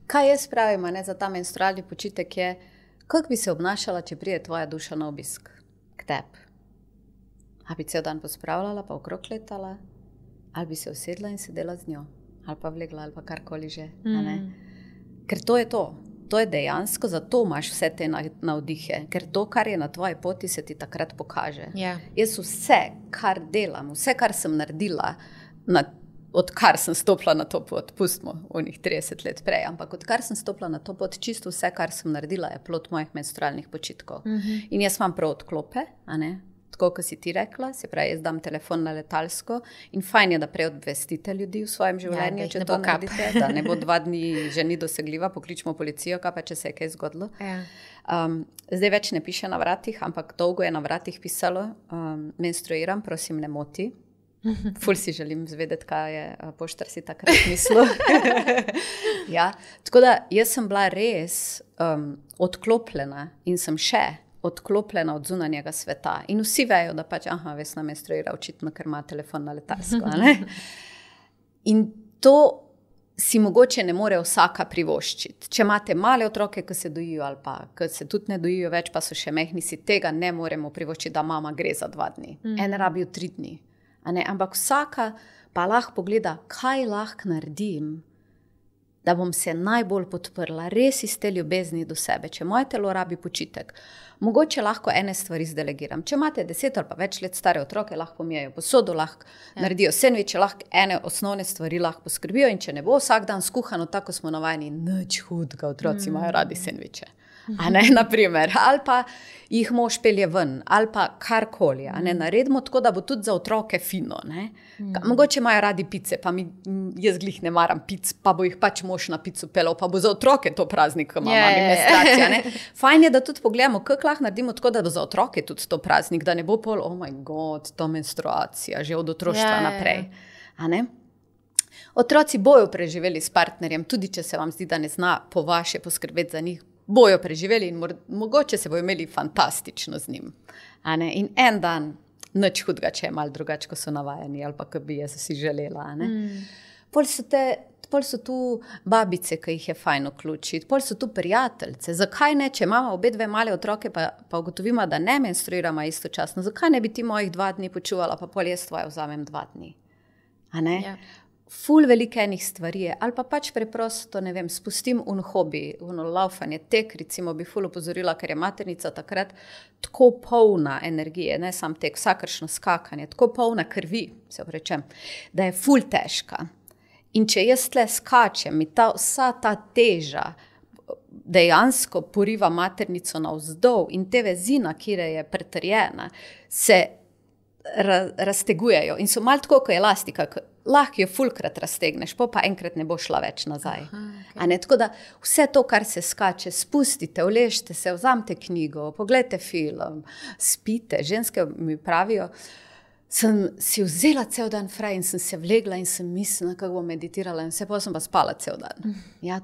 Kaj jaz pravim, za ta menstrualni počitek je, kako bi se obnašala, če pride tvoja duša na obisk k tebi? A bi cel dan pospravljala, pa okrog letala, ali bi se usedla in sedela z njo, ali pa vlegla, ali pa karkoli že. Ker to je to. To je dejansko, zato imaš vse te navdihe, ker to, kar je na tvoji poti, se ti takrat pokaže. Ja. Jaz vse, kar delam, vse, kar sem naredila, odkar sem stopila na to pot, pustimo onih 30 let prej, ampak odkar sem stopila na to pot, čisto vse, kar sem naredila, je plod mojih menstrualnih počitkov. In jaz imam prav odklope, tako, kot si ti rekla, se pravi, jaz dam telefon na letalsko in fajn je, da prej obvestite ljudi v svojem življenju, če to naredite, da ne bo 2 dni že ni dosegljiva, pokličimo policijo, kaj pa če se je kaj zgodilo. Zdaj več ne piše na vratih, ampak dolgo je na vratih pisalo, menstruiram, prosim, ne moti. Ful si želim zvedeti, kaj je poštar si takrat mislil. Ja, tako da jaz sem bila res odklopljena in sem še odklopljena od zunanjega sveta. In vsi vejo, da pač, Vesna menstruira očitno, ker ima telefon na letalsko. In to si mogoče ne more vsaka privoščiti. Če imate male otroke, ki se dojijo ali pa ki se tudi ne dojijo več, pa so še mehni, si tega ne moremo privoščiti, da mama gre za 2 dni. En rabijo 3 dni. Ampak vsaka pa lahko pogleda, kaj lahko naredim, da bom se najbolj podprla, res iz te ljubezni do sebe. Če moje telo rabi počitek, mogoče lahko ene stvari zdelegiram. Če imate 10 ali pa več let stare otroke, lahko pomijajo posodo, lahko naredijo sendviče, lahko ene osnovne stvari lahko poskrbijo in če ne bo vsak dan skuhano, tako smo navajeni, nič hudega, otroci imajo radi sendviče. Naprimer, ali pa jih mož pelje ven, ali pa karkoli, naredimo tako, da bo tudi za otroke fino, mogoče imajo radi pice, pa jaz glih ne maram pic, pa bo jih pač mož na pico pelal, pa bo za otroke to praznik, ko ima mami menstruacija, Fajn je, da tudi pogledamo, kako lahko naredimo tako, da bo za otroke tudi to praznik, da ne bo pol, oh my god, to menstruacija, že od otroštva naprej, Otroci bojo preživeli s partnerjem, tudi če se vam zdi, da ne zna po vaše poskrbeti za njih, bojo preživeli in mogoče se bojo imeli fantastično z njim. In en dan, nič hudega, če je malo drugače, ko so navajeni, ali pa, ko bi jaz si želela. Pol so tu babice, ki jih je fajn vključiti, pol so tu prijateljice. Zakaj ne, če imamo obe 2 male otroke, pa ugotovimo, da ne menstruiramo istočasno, zakaj ne bi ti mojih 2 dni počuvala, pa pol jaz tvoje vzamem 2 dni? Ful veliko enih stvari je, ali pa pač preprosto, ne vem, spustim hobi, laufanje, tek, recimo bi ful opozorila, ker je maternica takrat tako polna energije, ne sam tek, vsakršno skakanje, tako polna krvi, se oprečem, da je ful težka. In če jaz tle skačem, mi vsa ta teža dejansko poriva maternico navzdol in te vezina, kjer je pretrjena, se raztegujejo in so malo tako, kot elastika, lahko jo fulkrat raztegneš, pa enkrat ne bo šla več nazaj. Tako da vse to, kar se skače, spustite, uležite se, vzamite knjigo, pogledajte film, spite. Ženske mi pravijo, sem si vzela cel dan fraj in sem se vlegla in sem mislila, kako bom meditirala in vse, pa sem pa spala cel dan.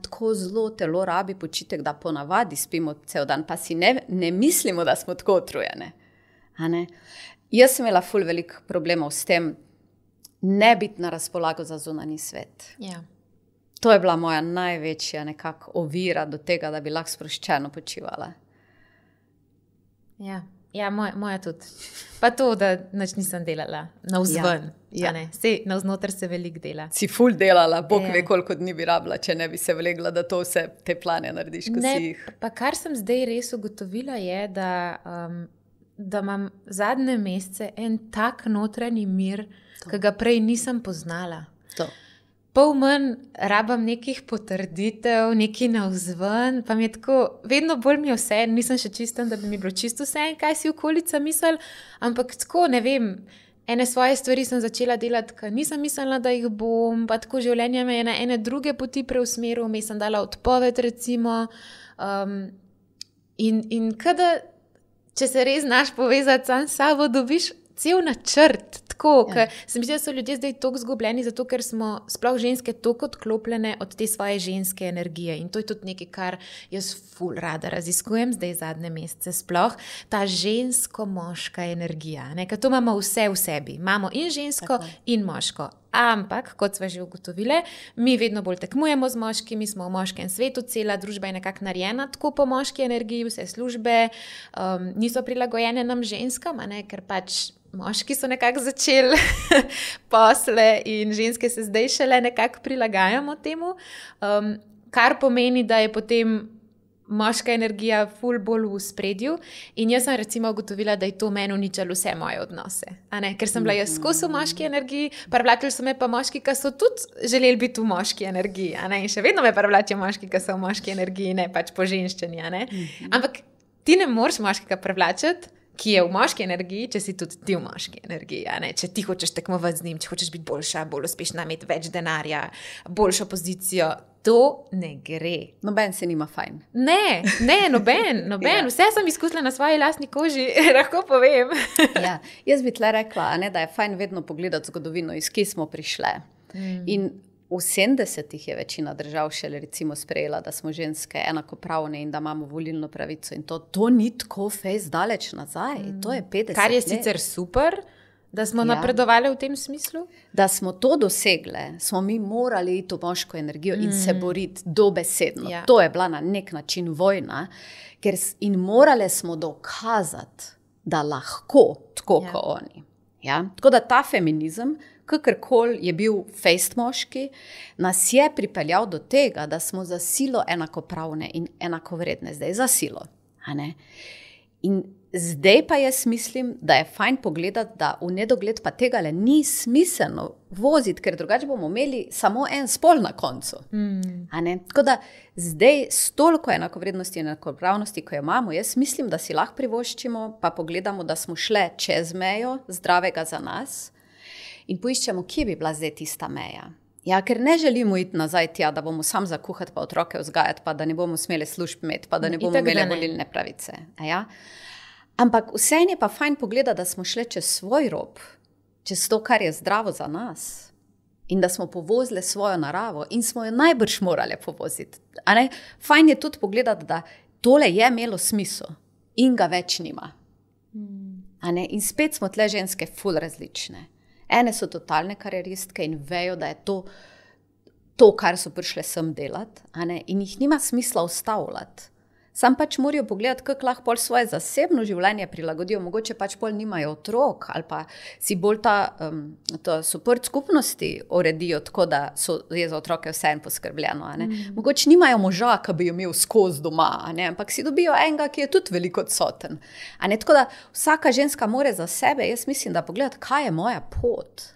Tako zelo telo rabi počitek, da ponavadi spimo cel dan, pa si ne mislimo, da smo tako utrujene. Jaz sem imela ful veliko problemov s tem, ne biti na razpolago za zunanji svet. To je bila moja največja nekako ovira do tega, da bi lahko sproščeno počivala. Moja tudi. Pa to, da nič nisem delala navzven. Sej, navznoter se veliko dela. Si ful delala, Bog ve koliko dni bi rabila, če ne bi se vlegla, da to vse te plane narediš, ko si jih. Pa kar sem zdaj res ugotovila je, da imam zadnje mesece en tak notranji mir, ki ga prej nisem poznala. Pol manj rabam nekih potrditev, nekaj navzven, pa mi je tako, vedno bolj mi je vse, nisem še čisten, da bi mi bilo čisto vse, kaj si okolica misli, ampak tako, ne vem, ene svoje stvari sem začela delati, ker nisem mislila, da jih bom, pa tako življenje me je na ene druge poti preusmeril, mi sem dala odpoved recimo, in kada če se res znaš povezati sam s sabo, dobiš cel načrt, tako, ker se mi zdi, da so ljudje zdaj toliko zgubljeni, zato ker smo sploh ženske toliko odklopljene od te svoje ženske energije in to je tudi nekaj, kar jaz ful rada raziskujem zdaj zadnje mesece sploh, ta žensko-moška energija, ne, ker to imamo vse v sebi, imamo in žensko in moško. Ampak, kot sva že ugotovile, mi vedno bolj tekmujemo z moškimi, smo v moškem svetu, cela družba je nekako narejena tako po moški energiji, vse službe niso prilagojene nam ženskam, ne, ker pač moški so nekako začeli posle in ženske se zdaj šele nekako prilagajamo temu, kar pomeni, da je potem moška energija ful bolj v spredju in jaz sem recimo ugotovila, da je to meni uničalo vse moje odnose. Ker sem bila jaz skozi v moški energiji, privlačili so me pa moški, ki so tudi želeli biti v moški energiji. In še vedno me privlačijo moški, ki so v moški energiji, ne pač po ženščini. Ampak ti ne moreš moškega privlačiti, ki je v moški energiji, če si tudi ti v moški energiji. Če ti hočeš tekmovati z njim, če hočeš biti boljša, bolj uspešna, imeti več denarja, boljšo pozicijo, to ne gre. Noben se nima fajn. Ne, noben. Vse sem izkusila na svoji lastni koži, lahko povem. Jaz bi tle rekla, da je fajn vedno pogledati zgodovino, iz kje smo prišle. In v 70-ih je večina držav šele recimo sprejela, da smo ženske enakopravne in da imamo volilno pravico. In to ni tako fejs daleč nazaj. To je 50 let. Kar je sicer super, da smo napredovali v tem smislu. Da smo to dosegle, smo mi morali iti v moško energijo in se boriti dobesedno. To je bila na nek način vojna. In morale smo dokazati, da lahko tako kot oni. Tako da ta feminizem, kakorkoli je bil fejst moški, nas je pripeljal do tega, da smo za silo enakopravne in enakovredne. Zdaj za silo. In zdaj pa jaz mislim, da je fajn pogledati, da v nedogled pa tega ni smiselno voziti, ker drugače bomo imeli samo en spol na koncu. Tako da zdaj s toliko enakovrednosti in enakopravnosti, ko jo imamo, jaz mislim, da si lahko privoščimo, pa pogledamo, da smo šle čez mejo zdravega za nas in poiščemo, kje bi bila zdaj tista meja. Ker ne želimo iti nazaj tja, da bomo sam zakuhati, pa otroke vzgajati, pa da ne bomo smeli služb imeti, pa da ne bomo imeli volilne pravice. Ampak vseeno je pa fajn pogledati, da smo šli čez svoj rob, čez to, kar je zdravo za nas in da smo povozili svojo naravo in smo jo najbrž morali povoziti. Fajn je tudi pogledati, da tole je imelo smisel in ga več nima. In spet smo tle ženske ful različne. Ene so totalne karieristke in vejo, da je to, kar so prišle sem delati, in jih nima smisla ustavljati. Sam pač morajo pogledati, kako lahko pol svoje zasebno življenje prilagodijo, mogoče pač pol nimajo otrok ali pa si bolj to support skupnosti uredijo tako, da je za otroke vse en poskrbljeno. Mogoče nimajo moža, ki bi jo imel skozi doma, ampak si dobijo enega, ki je tudi veliko odsoten. Tako da vsaka ženska more za sebe, jaz mislim, da pogledati, kaj je moja pot.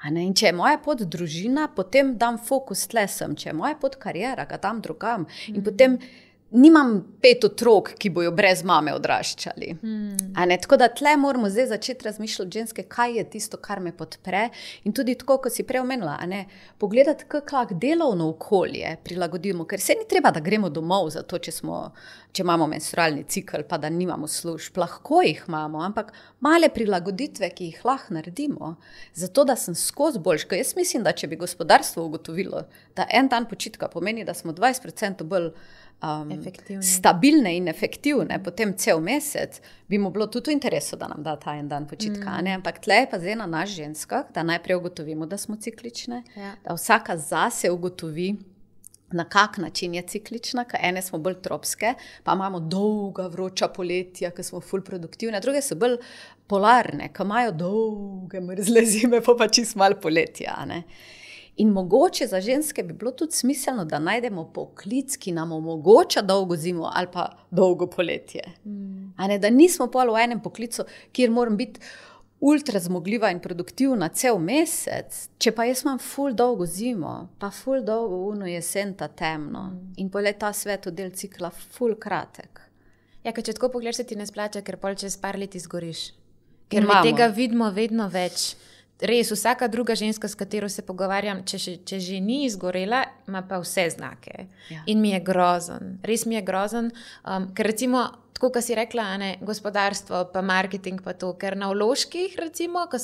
In če je moja pot družina, potem dam fokus tle sem. Če je moja pot kariera, ga dam drugam. In potem nimam 5 otrok, ki bojo brez mame odraščali. Tako da tle moramo zdaj začeti razmišljati ženske, kaj je tisto, kar me podpre. In tudi tako, kot si prej omenila, pogledati, kako lahko delovno okolje prilagodimo. Ker se ni treba, da gremo domov zato, če imamo menstrualni cikel, pa da nimamo služb. Lahko jih imamo, ampak male prilagoditve, ki jih lahko naredimo, zato da sem skozi boljška. Jaz mislim, da če bi gospodarstvo ugotovilo, da en dan počitka pomeni, da smo 20% bolj stabilne in efektivne, potem cel mesec, bi mu bilo tudi v interesu, da nam da ta en dan počitka. Ampak tle je pa zdaj na nas ženskah, da najprej ugotovimo, da smo ciklične, da vsaka zase ugotovi, na kak način je ciklična, ker ene smo bolj tropske, pa imamo dolga vroča poletja, ker smo ful produktivne, druge so bolj polarne, ker imajo dolge mrzle zime, pa čist malo poletja. In mogoče za ženske bi bilo tudi smiselno, da najdemo poklic, ki nam omogoča dolgo zimo ali pa dolgo poletje. Da nismo pol v enem poklicu, kjer moram biti ultra zmogljiva in produktivna cel mesec, če pa jaz imam ful dolgo zimo, pa ful dolgo uno jesen ta temno. In pol je ta svetodel cikla ful kratek. Ker če tako pogledaš, se ti ne splača, ker pol čez par let izgoriš. Ker mi tega vidimo vedno več. res vsaka druga ženska, s katero se pogovarjam, če že ni izgorela, ima pa vse znake. Ja. In mi je grozen, res mi je grozen, ker recimo, tako kot si rekla, ne, gospodarstvo, pa marketing, pa to, ker na vložkih, recimo, ko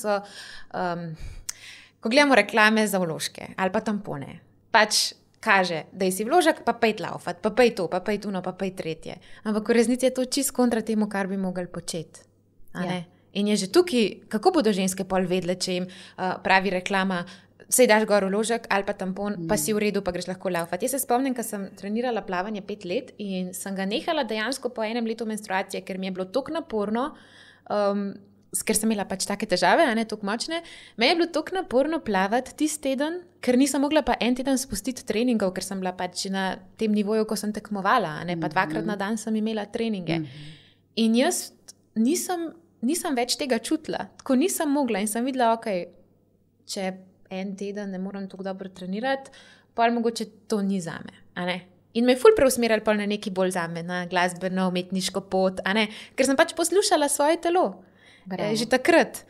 gledamo reklame za vložke ali pa tampone, pač kaže, da si vložek, pa pej laufat, pa pej to, pa pej tuno, pa pej tretje. Ampak v resnici je to čist kontra temu, kar bi mogli početi. Ja. In je že tukaj, kako bodo ženske pol vedle, če jim pravi reklama, sej daš gor vložek ali pa tampon, pa si v redu, pa greš lahko laufat. Jaz se spomnim, ko sem trenirala plavanje 5 let in sem ga nehala dejansko po 1 letu menstruacije, ker mi je bilo toliko naporno, ker sem imela pač take težave, a ne toliko močne, me je bilo toliko naporno plavati tisti teden, ker nisem mogla pa en teden spustiti treningov, ker sem bila pač na tem nivoju, ko sem tekmovala, a ne, pa 2-krat na dan sem imela treninge. In jaz nisem več tega čutila, tako nisem mogla in sem videla, če en teden ne moram tako dobro trenirati, pa mogoče to ni zame, a ne. In me je ful preusmerjali pol na neki bolj zame, na glasbeno, umetniško pot, a ne, ker sem pač poslušala svoje telo. Že takrat,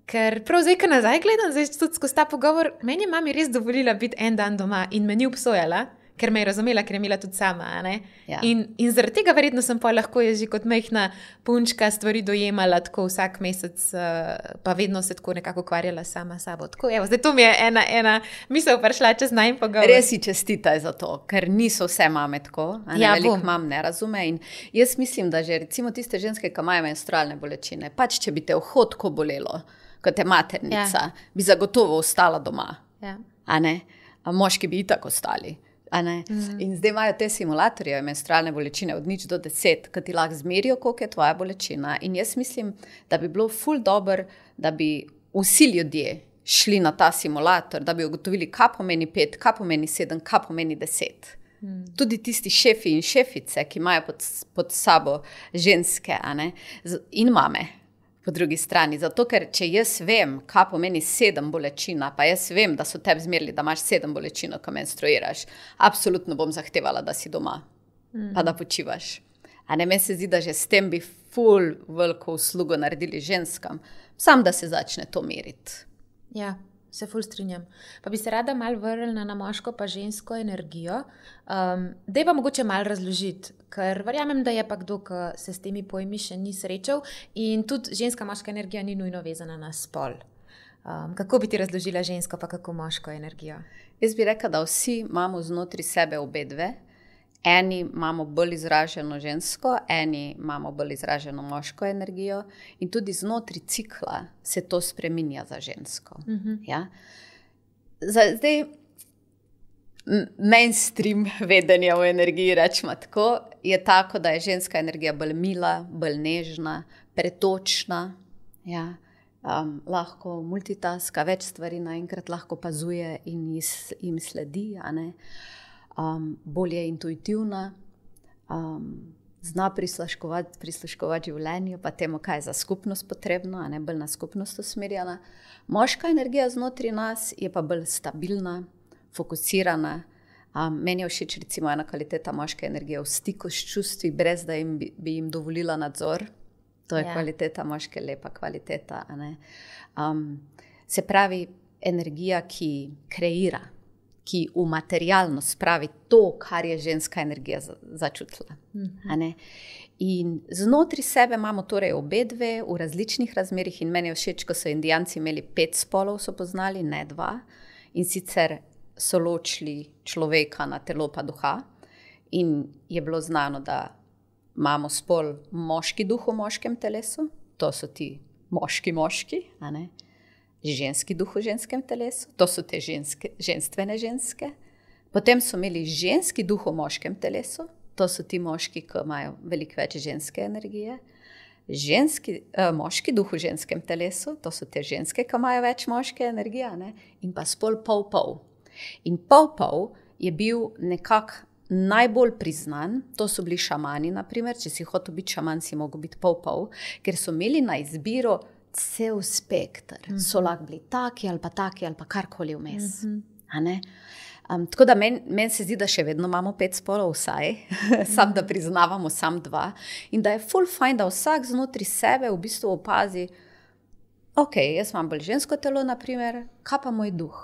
ker prav zdaj, ko nazaj gledam, zdaj tudi skozi ta pogovor, meni je mami res dovolila biti en dan doma in me ni obsojala, ker me je razumela, ker je imela tudi sama. Ja. In zaradi tega verjetno sem pa lahko jaz že kot majhna punčka stvari dojemala tako vsak mesec, pa vedno se tako nekako ukvarjala sama sabo. Tako, evo, zdaj to mi je ena misel prišla čez najn pogovor. Res si čestitaj za to, ker niso vse mame tako, veliko mam ne razume. In jaz mislim, da že recimo tiste ženske, ki imajo menstrualne bolečine, pač če bi te vhodko bolelo, kot je maternica, bi zagotovo ostala doma. Ja. A ne? A moški bi itak ostali. In zdaj imajo te simulatorje menstrualne bolečine od 0 do 10, ki ti lahko zmerijo, koliko je tvoja bolečina. In jaz mislim, da bi bilo ful dobro, da bi vsi ljudje šli na ta simulator, da bi ugotovili, kaj pomeni 5, kaj pomeni 7, kaj pomeni 10. Tudi tisti šefi in šefice, ki imajo pod sabo ženske, in mame. Po drugi strani, zato ker če jaz vem, kaj pomeni 7 bolečina, pa jaz vem, da so tebi zmerili, da imaš 7 bolečino, ko menstruiraš, absolutno bom zahtevala, da si doma, pa da počivaš. Meni se zdi, da že s tem bi ful veliko uslugo naredili ženskam, sam da se začne to meriti. Ja, se ful strinjam. Pa bi se rada malo vrnila na moško pa žensko energijo. Daj pa mogoče malo razložiti, ker verjamem, da je pa kdo, ki se s temi pojmi še ni srečal in tudi ženska moška energija ni nujno vezana na spol. Kako bi ti razložila žensko pa kako moško energijo? Jaz bi rekla, da vsi imamo znotraj sebe obe dve. Eni imamo bolj izraženo žensko, eni imamo bolj izraženo moško energijo in tudi znotraj cikla se to spreminja za žensko. Ja? Zdaj, mainstream vedenja o energiji, rečemo tako, je tako, da je ženska energija bolj mila, bolj nežna, pretočna, ja? Lahko multitaska, več stvari naenkrat lahko opazuje in jim sledi, a ne? Bolje intuitivna, zna prisluškovati življenju, pa temu, kaj je za skupnost potrebno, a ne bolj na skupnost usmerjena. Moška energija znotraj nas je pa bolj stabilna, fokusirana. Meni je všeč recimo ena kvaliteta moške energije v stiku s čustvi, brez da bi jim dovolila nadzor. To je kvaliteta moške, lepa kvaliteta. A ne? Se pravi, energija, ki kreira, ki v materialno spravi to, kar je ženska energija začutila. In znotraj sebe imamo torej obe dve v različnih razmerih in meni je všeč, ko so Indijanci imeli 5 spolov, so poznali, ne 2. In sicer so ločili človeka na telo pa duha in je bilo znano, da imamo spol moški duh v moškem telesu, to so ti moški, a ne? Ženski duh v ženskem telesu, to so te ženstvene ženske. Potem so imeli ženski duh v moškem telesu, to so ti moški, ki imajo veliko več ženske energije. Moški duh v ženskem telesu, to so te ženske, ki imajo več moške energije, ne? In pa spol pol-pol. In pol-pol je bil nekako najbolj priznan, to so bili šamani, naprimer, če si hotel biti šaman, si mogel biti pol-pol, ker so imeli na izbiro cel spektr. So lahko bili taki ali pa karkoli vmes. Tako da meni se zdi, da še vedno imamo 5 spolov vsaj, sam da priznavamo sam 2 in da je ful fajn, da vsak znotraj sebe v bistvu opazi, ok, jaz imam bolj žensko telo, naprimer, kaj pa moj duh?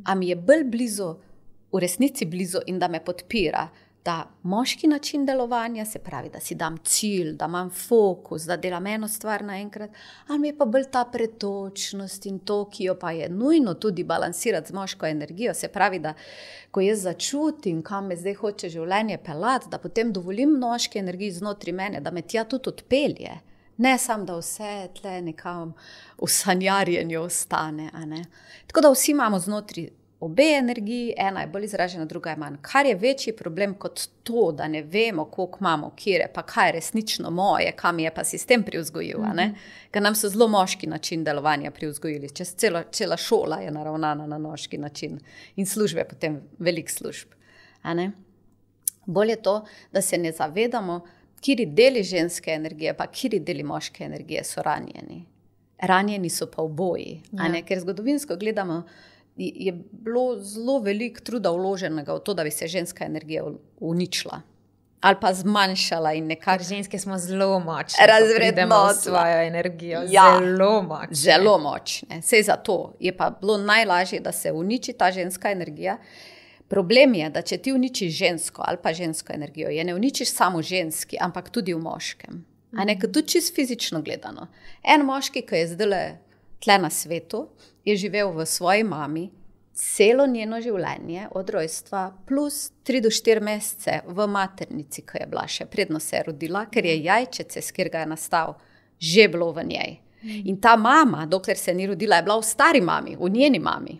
A mi je bolj blizu, v resnici blizu in da me podpira ta moški način delovanja, se pravi, da si dam cilj, da imam fokus, da delam eno stvar naenkrat, ali mi je pa bolj ta pretočnost in to, ki jo pa je nujno tudi balansirati z moško energijo, se pravi, da ko jaz začutim, kam me zdaj hoče življenje peljati, da potem dovolim moški energiji znotri mene, da me tja tudi odpelje. Ne samo, da vse tle nekam v sanjarjenju ostane. A ne? Tako da vsi imamo znotri obe energiji, ena je bolj izražena, druga je manj. Kar je večji problem kot to, da ne vemo, koliko imamo, kire, pa kaj je resnično moje, kam je pa sistem privzgojil. Ker nam so zelo moški način delovanja privzgojili. Cela šola je naravnana na moški način in službe potem velik služb. A ne? Bolje to, da se ne zavedamo, kiri deli ženske energije, pa kiri deli moške energije so ranjeni. Ranjeni so pa oboji. Ker zgodovinsko gledamo, je bilo zelo veliko truda vloženega v to, da bi se ženska energija uničila. Ali pa zmanjšala in nekako... Ženske smo zelo močne, razvrednotila svojo energijo. Zelo močne. Zelo močne. Sej zato je pa bilo najlažje, da se uniči ta ženska energija. Problem je, da če ti uničiš žensko ali pa žensko energijo, je ne uničiš samo ženski, ampak tudi v moškem. A ne, tudi čisto fizično gledano. En moški, ki je zdaj tle na svetu, je živel v svoji mami celo njeno življenje od rojstva plus 3 do 4 mesece v maternici, ki je bila še predno se je rodila, ker je jajčece, s kjer ga je nastal, že bilo v njej. In ta mama, dokler se ni rodila, je bila v stari mami, v njeni mami.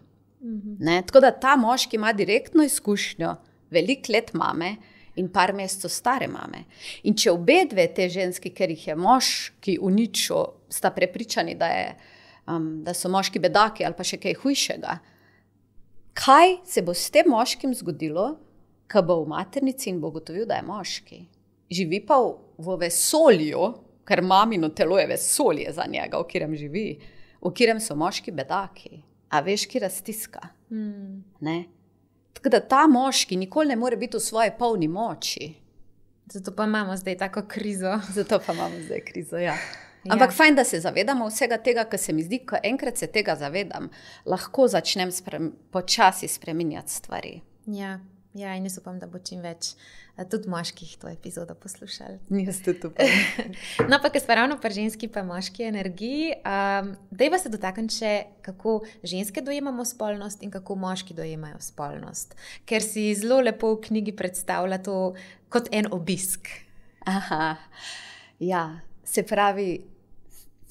Ne? Tako da ta moški ima direktno izkušnjo veliko let mame in par mesecev stare mame. In če obe dve te ženski, ker jih je moški uničil, sta prepričani, da so moški bedaki ali pa še kaj hujšega, kaj se bo s tem moškim zgodilo, ko bo v maternici in bo ugotovil, da je moški? Živi pa v vesolju, ker mamino telo je vesolje za njega, v katerem živi, v katerem so moški bedaki. A veš, ki raztiska. Ne? Tako da ta moški nikoli ne more biti v svoji polni moči. Zato pa imamo zdaj tako krizo. Ja. Ampak fajn, da se zavedamo vsega tega, ker se mi zdi, ko enkrat se tega zavedam, lahko začnem počasi spreminjati stvari. Ja, in jaz upam, da bo čim več tudi moških to epizodo poslušali. Jaz tudi upam. No, pa ker smo ravno pri ženski pa moški energiji, dajva se dotakniti še, kako ženske dojemamo spolnost in kako moški dojemajo spolnost. Ker si zelo lepo v knjigi predstavlja to kot en obisk. Aha, ja, se pravi,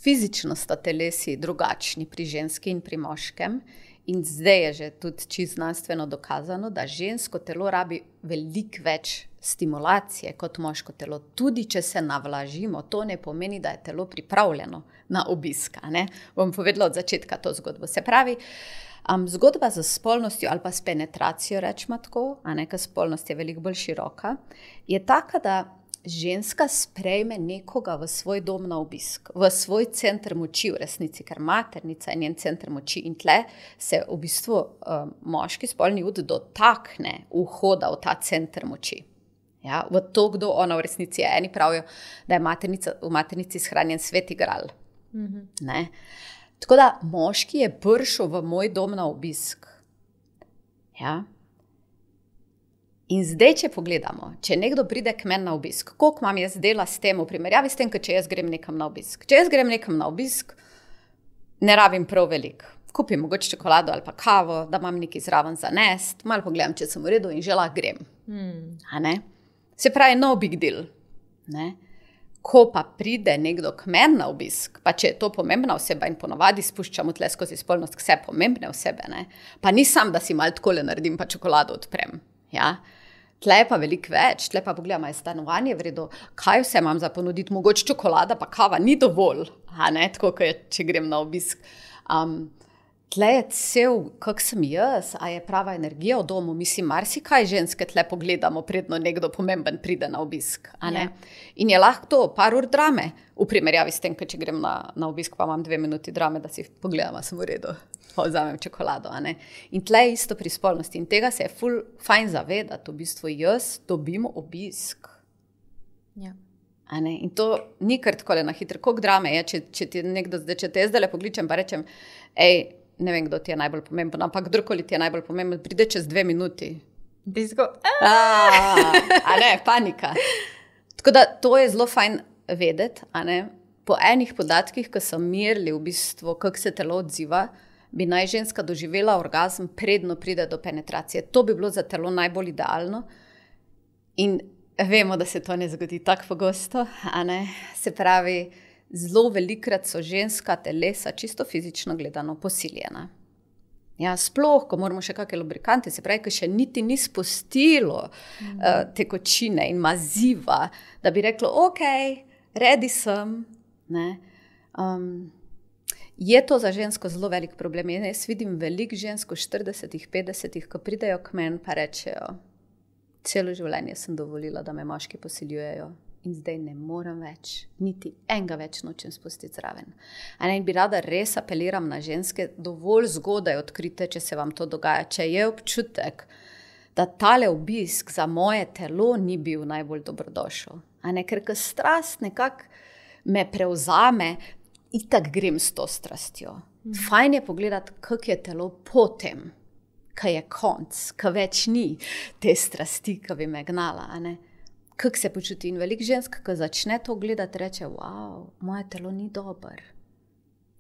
fizično sta telesi drugačni pri ženski in pri moškem. In zdaj je že tudi čisto znanstveno dokazano, da žensko telo rabi veliko več stimulacije kot moško telo. Tudi če se navlažimo, to ne pomeni, da je telo pripravljeno na obisk. Bom povedala od začetka to zgodbo. Se pravi, zgodba z spolnostjo ali pa s penetracijo, rečemo tako, ker spolnost je veliko bolj široka, je taka, da ženska sprejme nekoga v svoj dom na obisk, v svoj center moči v resnici, ker maternica je njen center moči in tle se v bistvu moški spolni ud dotakne vhoda v ta center moči. Ja, v to, kdo ona v resnici je. Eni pravijo, da je v maternici shranjen sveti gral. Ne? Tako da moški je prišel v moj dom na obisk. Ja. In zdaj, če pogledamo, če nekdo pride k meni na obisk, koliko imam jaz dela s tem v primerjavi s tem, če jaz grem nekam na obisk. Če jaz grem nekam na obisk, ne rabim prav veliko. Kupim mogoče čokolado ali pa kavo, da imam nekaj zraven za nest, malo pogledam, če sem v redu in že lahko grem. A ne? Se pravi, no big deal. Ne? Ko pa pride nekdo k meni na obisk, pa če je to pomembna oseba in ponovadi spuščamo tle skozi spolnost vse pomembne osebe, ne? Pa ni sam, da si malo takole naredim, pa čokolado odprem. Ja? Tle je pa veliko več, tle pa pogledam, je stanovanje v redu, kaj vse imam za ponuditi, mogoče čokolada pa kava ni dovolj, a ne, tako kot je, če grem na obisk. Tle je cel, kak sem jaz, a je prava energija v domu, mislim, marsikaj ženske tle pogledamo, predno nekdo pomemben pride na obisk, a ne. In je lahko to par ur drame, v primerjavi s tem, če grem na obisk, pa imam 2 minuti drame, da si pogledam, a sem v redu. Vzamem čokolado. A ne? In tle je isto pri spolnosti. In tega se je fajn zavedati. V bistvu jaz dobim obisk. Ja. In to ni kar tako na hitro, koliko drame je, če ti nekdo, če te zdaj pokličem pa rečem, ne vem, kdo ti je najbolj pomemben, ampak kdorkoli ti je najbolj pomemben, pride čez 2 minuti. Panika. Tako da to je zelo fajn vedeti, po enih podatkih, ki so merili v bistvu, kako se telo odziva, bi naj ženska doživela orgazm, predno pride do penetracije. To bi bilo za telo najbolj idealno in vemo, da se to ne zgodi tako pogosto, Se pravi, zelo velikrat so ženska telesa čisto fizično gledano posiljena. Ja, sploh, ko moramo še kakšne lubrikante, se pravi, ko še niti ni spustilo tekočine in maziva, da bi reklo, ok, ready sem. Je to za žensko zelo velik problem. Jaz vidim veliko žensk v 40-ih, 50-ih, ko pridejo k meni pa rečejo, celo življenje sem dovolila, da me moški posiljujejo in zdaj ne morem več, niti enega več nočem spustiti zraven. In bi rada res apeliram na ženske, dovolj zgodaj odkrite, če se vam to dogaja, če je občutek, da tale obisk za moje telo ni bil najbolj dobrodošel. Ker ko strast nekako me prevzame, itak grem s to strastjo. Fajn je pogledati, kako je telo potem, ko je konc, ko več ni te strasti, ko bi me gnala, Kako se počuti? In veliko žensk, ko začne to gledati, reče, wow, moje telo ni dober.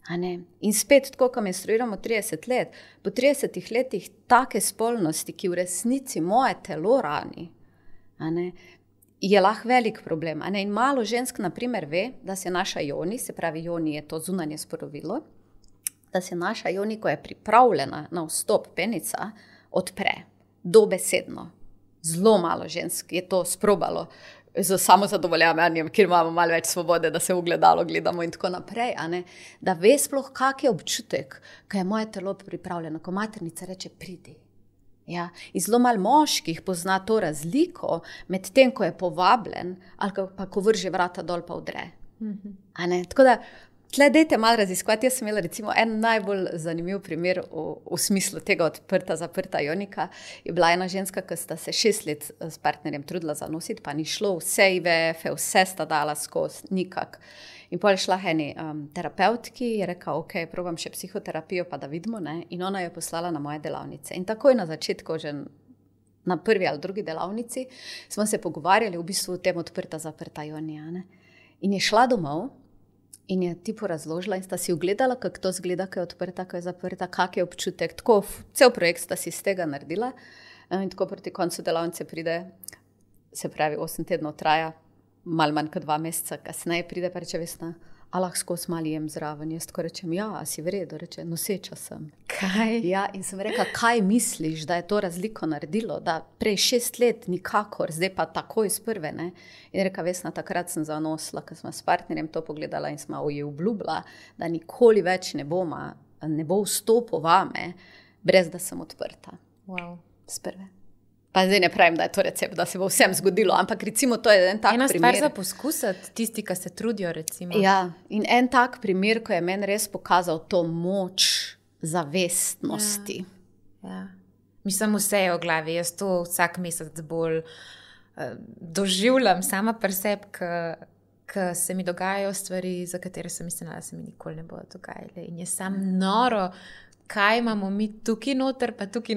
In spet, tako, ko menstruiramo 30 let, po 30 letih take spolnosti, ki v resnici moje telo rani, je lahko velik problem. In malo žensk, na primer, ve, da se naša joni, se pravi joni je to zunanje sporovilo, da se naša joni, ko je pripravljena na vstop penica, odpre, dobesedno. Zelo malo žensk je to sprobalo z samozadovoljavanjem, kjer imamo malo več svobode, da se v gledalo gledamo in tako naprej, da ve sploh, kak je občutek, ko je moje telo pripravljeno, ko maternica reče, pridi. Ja, in zelo malo moških pozna to razliko med tem, ko je povabljen, ali pa ko vrže vrata dol pa vdre. Tako da, tle dejte malo raziskovati. Jaz sem imela recimo en najbolj zanimiv primer v smislu tega odprta, zaprta jonika. Je bila ena ženska, ki sta se 6 let s partnerjem trudila zanositi, pa ni šlo, vse IVF, vse sta dala skozi, nikak. In potem je šla eni terapeutki, je rekla, ok, probam še psihoterapijo, pa da vidimo, in ona jo poslala na moje delavnice. In takoj na začetku, že na prvi ali drugi delavnici, smo se pogovarjali v bistvu o tem odprta, zaprta jonija. In je šla domov, in je tipo razložila in sta si ugledala, kako to zgleda, ko je odprta, ko je zaprta, kak je občutek. Tako, cel projekt sta si z tega naredila in tako proti koncu delavnice pride, se pravi 8 tednov traja, malo manj kot 2 meseca kasneje pride pa reče, Vesna, a lahko skozi malo jem zraven. Jaz tako rečem, ja, a si v redu, reče, noseča sem. Kaj? Ja, in sem rekla, kaj misliš, da je to razliko naredilo, da prej 6 let nikakor, zdaj pa takoj iz prve, In rekla, Vesna, takrat sem zanosila, ko smo s partnerjem to pogledala in smo ji obljubila, da nikoli več ne bo vstopil vame, brez da sem odprta. Wow. Z prve. Pa zdaj ne pravim, da je to recept, da se bo vsem zgodilo, ampak recimo to je en tak primer. Ena stvar za poskusiti, tisti, ki se trudijo, recimo. Ja, in en tak primer, ko je meni res pokazal to moč zavestnosti. Ja. Mislim, vse je v glavi, jaz to vsak mesec bolj doživljam sama pri sebi, ko se mi dogajajo stvari, za katere sem mislila, da se mi nikoli ne bodo dogajale. In je sam noro, kaj imamo mi tukaj noter, pa tukaj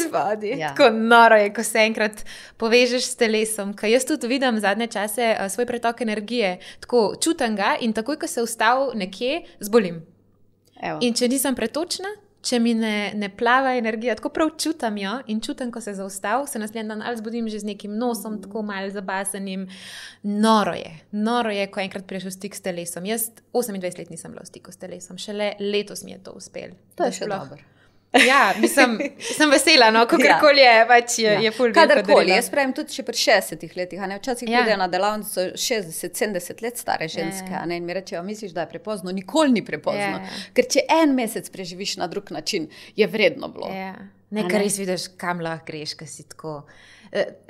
spodaj. Ja. Tako noro je, ko se enkrat povežeš s telesom, ker jaz tudi vidim zadnje čase svoj pretok energije, tako čutim ga in takoj, ko se ustavim nekje, zbolim. Evo. In če nisem pretočna, če mi ne plava energija, tako prav čutim jo in čutim, ko se zaustavim, se naslednji dan ali zbudim že z nekim nosom, tako malo zabasenim. Noro je, ko enkrat priješ v stik s telesom. Jaz 28 let nisem bila v stiku s telesom, šele letos mi je to uspelo. To je še dobro. Ja, sem vesela, kakorkoli je, pač je ful. Kadarkoli, jaz pravim tudi še pri 60 letih, včasih pridejo na delavnico 60-70 let stare ženske, in mi rečejo, misliš, da je prepozno? Nikoli ni prepozno, ker če en mesec preživiš na drug način, je vredno bilo. Nekaj res vidiš, kam lahko greš, ko si tako.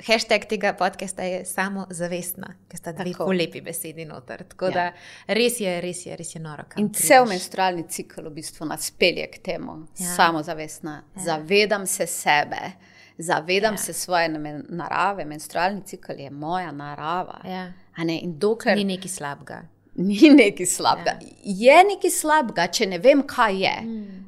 Hashtag tega podcasta je samozavestna, ker sta dve ful lepi besedi noter. Tako da res je noro. In cel menstrualni cikl v bistvu nas pelje k temu. Samozavestna. Zavedam se sebe. Zavedam se svoje narave, menstrualni cikl je moja narava. In dokler ni nekaj slabega. Ni nekaj slabega. Je nekaj slabega, če ne vem, kaj je.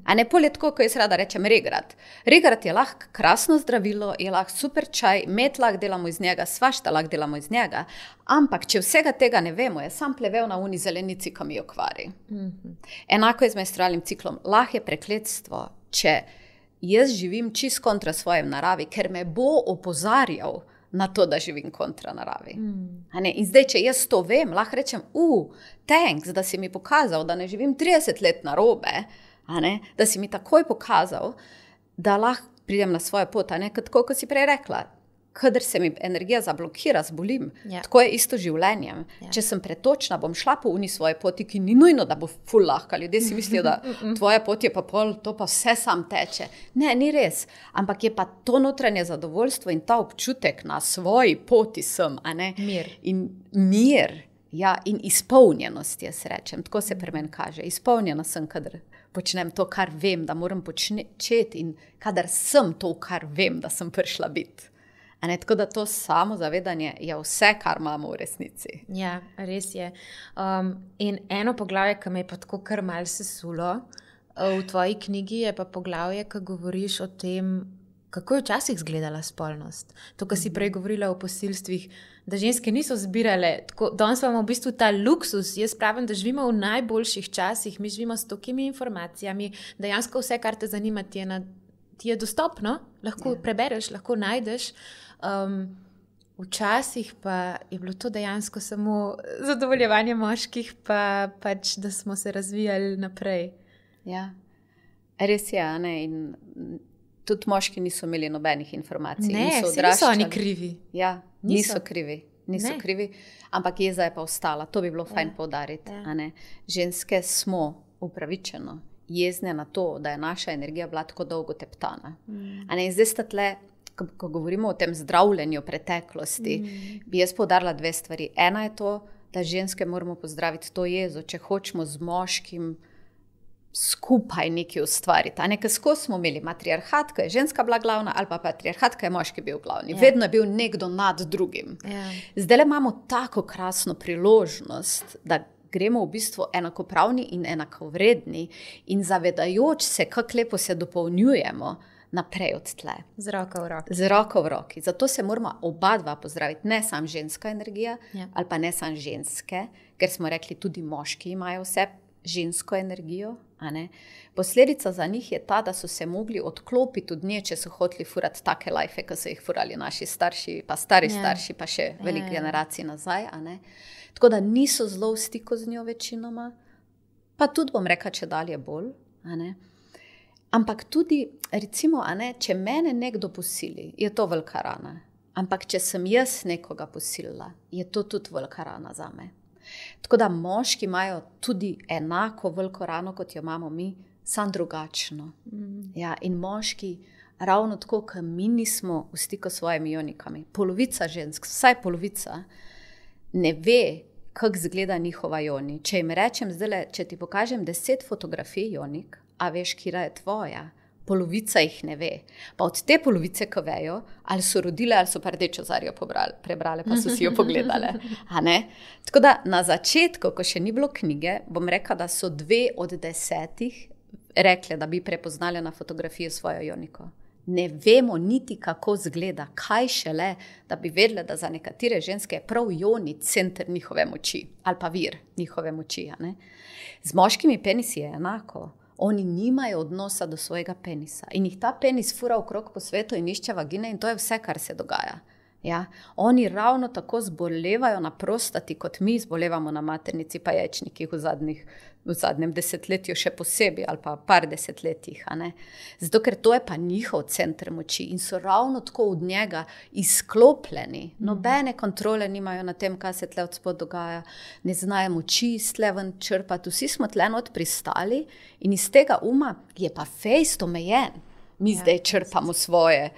A ne poletko, ko jaz rada rečem regrat. Regrat je lahko krasno zdravilo, je lahko super čaj, med lahko delamo iz njega, svašta lahko delamo iz njega, ampak če vsega tega ne vemo, je sam plevel na uni zelenici, ki mi jo kvari. Enako je z menstrualnim ciklom. Lahko je prekletstvo, če jaz živim čist kontra svojem naravi, ker me bo opozarjal na to, da živim kontra naravi. In zdaj, če jaz to vem, lahko rečem, thanks, da si mi pokazal, da ne živim 30 let narobe, da si mi takoj pokazal, da lahko pridem na svojo pot, tako, kot si prej rekla. Kadar se mi energija zablokira, zbolim. Tako je isto življenjem. Če sem pretočna, bom šla po uni svoje poti, ki ni nujno, da bo ful lahka. Ljudje si mislijo, da tvoja pot je pa pol, to pa vse sam teče. Ne, ni res. Ampak je pa to notranje zadovoljstvo in ta občutek na svoji poti sem. Mir. In mir, in izpolnjenost, jaz rečem. Tako se pri meni kaže. Izpolnjena sem, kadar počnem to, kar vem, da moram početi in kadar sem to, kar vem, da sem prišla biti. Tako da to samozavedanje je vse, kar imamo v resnici. Ja, res je. In eno poglavje, ki me je pa tako kar mal sesulo v tvoji knjigi, je pa poglavje, ki govoriš o tem, kako je včasih izgledala spolnost. To, kar si prej govorila o posilstvih, da ženske niso zbirale. Danes imamo v bistvu ta luksus. Jaz pravim, da živimo v najboljših časih. Mi živimo s tokimi informacijami. Dejansko vse, kar te zanima, ti je dostopno. Lahko prebereš, lahko najdeš. Včasih pa je bilo to dejansko samo zadovoljevanje moških, pa pač, da smo se razvijali naprej. Ja, res je, in tudi moški niso imeli nobenih informacij. Niso oni krivi. Ja, niso krivi, ampak jeza je pa ostala. To bi bilo fajn poudariti. Ženske smo upravičeno jezne na to, da je naša energija bila tako dolgo teptana. In zdaj sta tle, ko govorimo o tem zdravljenju preteklosti, bi jaz poudarila dve stvari. Ena je to, da ženske moramo pozdraviti to jezo, če hočemo z moškim skupaj nekaj ustvariti. Ker skozi smo imeli matriarhat, ko je ženska bila glavna, ali pa patriarhat, ko je moški bil glavni. Vedno je bil nekdo nad drugim. Zdaj imamo tako krasno priložnost, da gremo v bistvu enakopravni in enakovredni in zavedajoč se, kako lepo se dopolnjujemo naprej od tle. Z roko v roki. Z roko v roki. Zato se moramo oba dva pozdraviti. Ne sam ženska energija, ali pa ne sam ženske, ker smo rekli, tudi moški imajo vse žensko energijo. Posledica za njih je ta, da so se mogli odklopiti od nje, če so hoteli furati take lajfe, ki so jih furali naši starši, pa stari starši, pa še veliko generacij nazaj. Tako da niso zelo v stiku z njo večinoma, pa tudi bom rekla, če dalje bolj. Ampak tudi, recimo, če mene nekdo posili, je to velika rana. Ampak če sem jaz nekoga posilila, je to tudi velika rana zame. Tako da moški imajo tudi enako veliko rano, kot jo imamo mi, samo drugačno. In moški, ravno tako, kot mi nismo v stiku s svojimi ionikami. Polovica žensk, vsaj polovica, ne ve, kako izgleda njihova ioni. Če jim rečem zdaj, če ti pokažem 10 fotografij ionik, a veš, kira je tvoja, polovica jih ne ve. Pa od te polovice, ko vejo, ali so rodile, ali so pa rdečo zarjo prebrale, pa so si jo pogledale. Tako da na začetku, ko še ni bilo knjige, bom rekla, da so 2 od 10 rekle, da bi prepoznali na fotografiji svojo ioniko. Ne vemo niti, kako izgleda, kaj šele, da bi vedele, da za nekatere ženske je prav ioni center njihove moči, ali pa vir njihove moči. Z moškimi penisi je enako. Oni nimajo odnosa do svojega penisa in jih ta penis fura okrog po svetu in išče vagine in to je vse, kar se dogaja. Oni ravno tako zbolevajo na prostati, kot mi zbolevamo na maternici pa jajčnikih v zadnjem desetletju še posebej ali pa par desetletjih. Zato, ker to je pa njihov center moči in so ravno tako od njega izklopljeni. Nobene kontrole nimajo na tem, kaj se tle od spod dogaja. Ne znajo moči iz tle ven črpati. Vsi smo tle not pristali in iz tega uma je pa fejst omejen. Mi zdaj črpamo svoje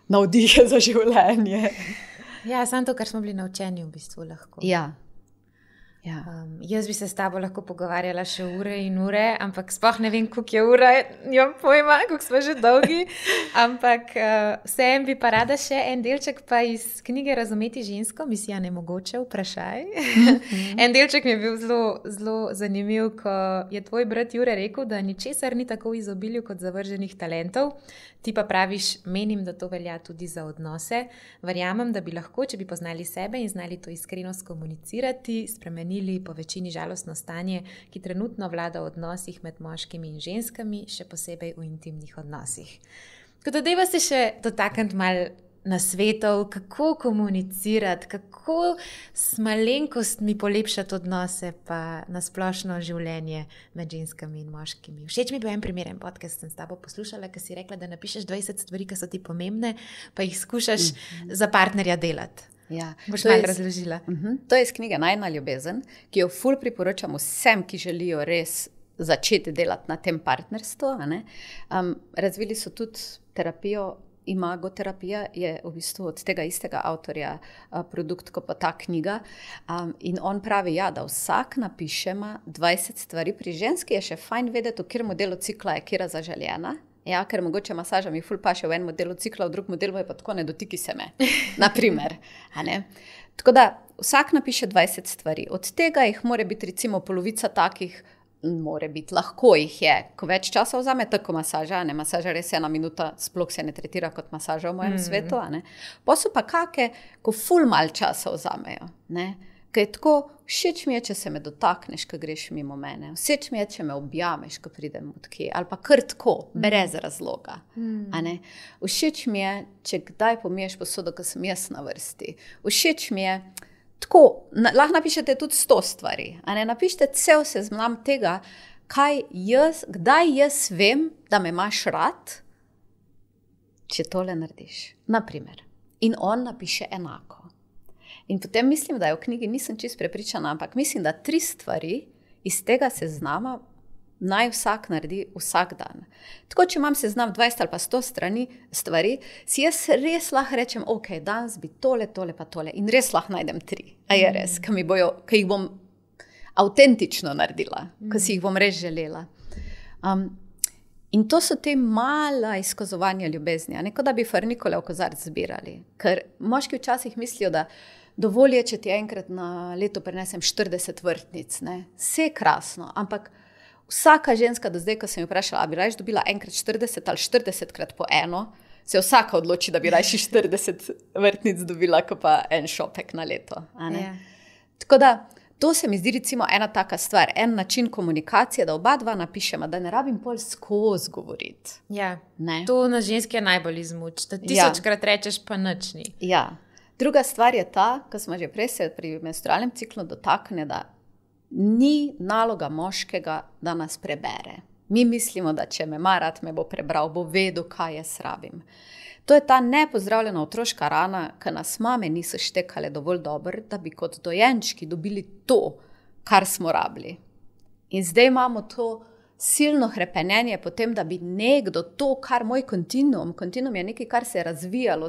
navdihe za življenje. Samo to, kar smo bili naučeni v bistvu lahko. Jaz bi se s tabo lahko pogovarjala še ure in ure, ampak sploh ne vem, koliko je ura, nimam pojma, koliko smo že dolgi. Ampak vseeno bi pa rada še en delček pa iz knjige Razumeti žensko, misija nemogoče, vprašaj. En delček mi je bil zelo, zelo zanimiv, ko je tvoj brat Jure rekel, da ničesar ni tako v izobilju kot zavrženih talentov. Ti pa praviš, menim, da to velja tudi za odnose. Verjamem, da bi lahko, če bi poznali sebe in znali to iskrenost komunicirati, spremenili po večini žalostno stanje, ki trenutno vlada v odnosih med moškimi in ženskami, še posebej v intimnih odnosih. Tako da dajva se še dotakniti malo nasvetov, kako komunicirati, kako s malenkostmi polepšati odnose pa nasplošno življenje med ženskami in moškimi. Všeč mi je bil en primeren podcast, sem s tabo poslušala, ki si rekla, da napišeš 20 stvari, ki so ti pomembne, pa jih skušaš za partnerja delati. Ja, boš malo razložila. To je iz knjige Najina ljubezen, ki jo ful priporočam vsem, ki želijo res začeti delati na tem partnerstvu. Razvili so tudi terapijo. Imagoterapija je v bistvu od tega istega avtorja produkt, kot pa ta knjiga. In on pravi, da vsak napišemo 20 stvari. Pri ženski je še fajn vedeti, v katerem modelu cikla je kera zaželjena. Ja, ker mogoče masaža mi ful paše v enem modelu cikla, v drugem modelu je pa tako, ne dotiki se me. Naprimer. Tako da vsak napiše 20 stvari. Od tega jih mora biti recimo polovica takih, more biti, lahko jih je, ko več časa vzame, tako masaža, masaža res 1 minuta, sploh se ne tretira kot masaža v mojem svetu, pa so pa kake, ko ful mal časa vzamejo, ker je tako, všeč mi je, če se me dotakneš, ko greš mimo mene, všeč mi je, če me objameš, ko pridem odkje, ali pa kar tako, brez razloga, všeč mi je, če kdaj pomiješ posodo, ko sem jaz na vrsti, všeč mi je, tako, lahko napišete tudi 100 stvari, napišite cel seznam tega, kdaj jaz vem, da me imaš rad, če tole narediš, naprimer. In on napiše enako. In potem mislim, da je v knjigi, nisem čisto prepričana, ampak mislim, da 3 stvari iz tega seznama naj vsak naredi vsak dan. Tako, če imam seznam 20 ali pa 100 stvari, si jaz res lahko rečem, ok, danes bi tole pa tole in res lahko najdem 3. A je res, ki jih bom avtentično naredila, ki si jih bom res želela. In to so te mala izkazovanja ljubezni, kot da bi farnikole v kozarc zbirali. Ker moški včasih mislijo, da dovolj je, če ti enkrat na leto prinesem 40 vrtnic. Vse je krasno, ampak vsaka ženska do zdaj, ko sem jo vprašala, bi rajš dobila enkrat 40 ali 40krat po eno, se vsaka odloči, da bi rajši 40 vrtnic dobila, kot pa en šopek na leto. Tako da, to se mi zdi recimo ena taka stvar, en način komunikacije, da oba dva napišemo, da ne rabim pol skozi govoriti. To na ženski je najbolj izmuč, da 1000krat rečeš, pa nič ni. Druga stvar je ta, ko smo že prej se pri menstrualnem ciklu dotakne, da ni naloga moškega, da nas prebere. Mi mislimo, da če me ima rad, me bo prebral, bo vedel, kaj jaz rabim. To je ta nepozdravljena otroška rana, ki nas mame niso štekale dovolj dobro, da bi kot dojenčki dobili to, kar smo rabili. In zdaj imamo to silno hrepenenje potem, da bi nekdo to, kar moj kontinuum je nekaj, kar se je razvijalo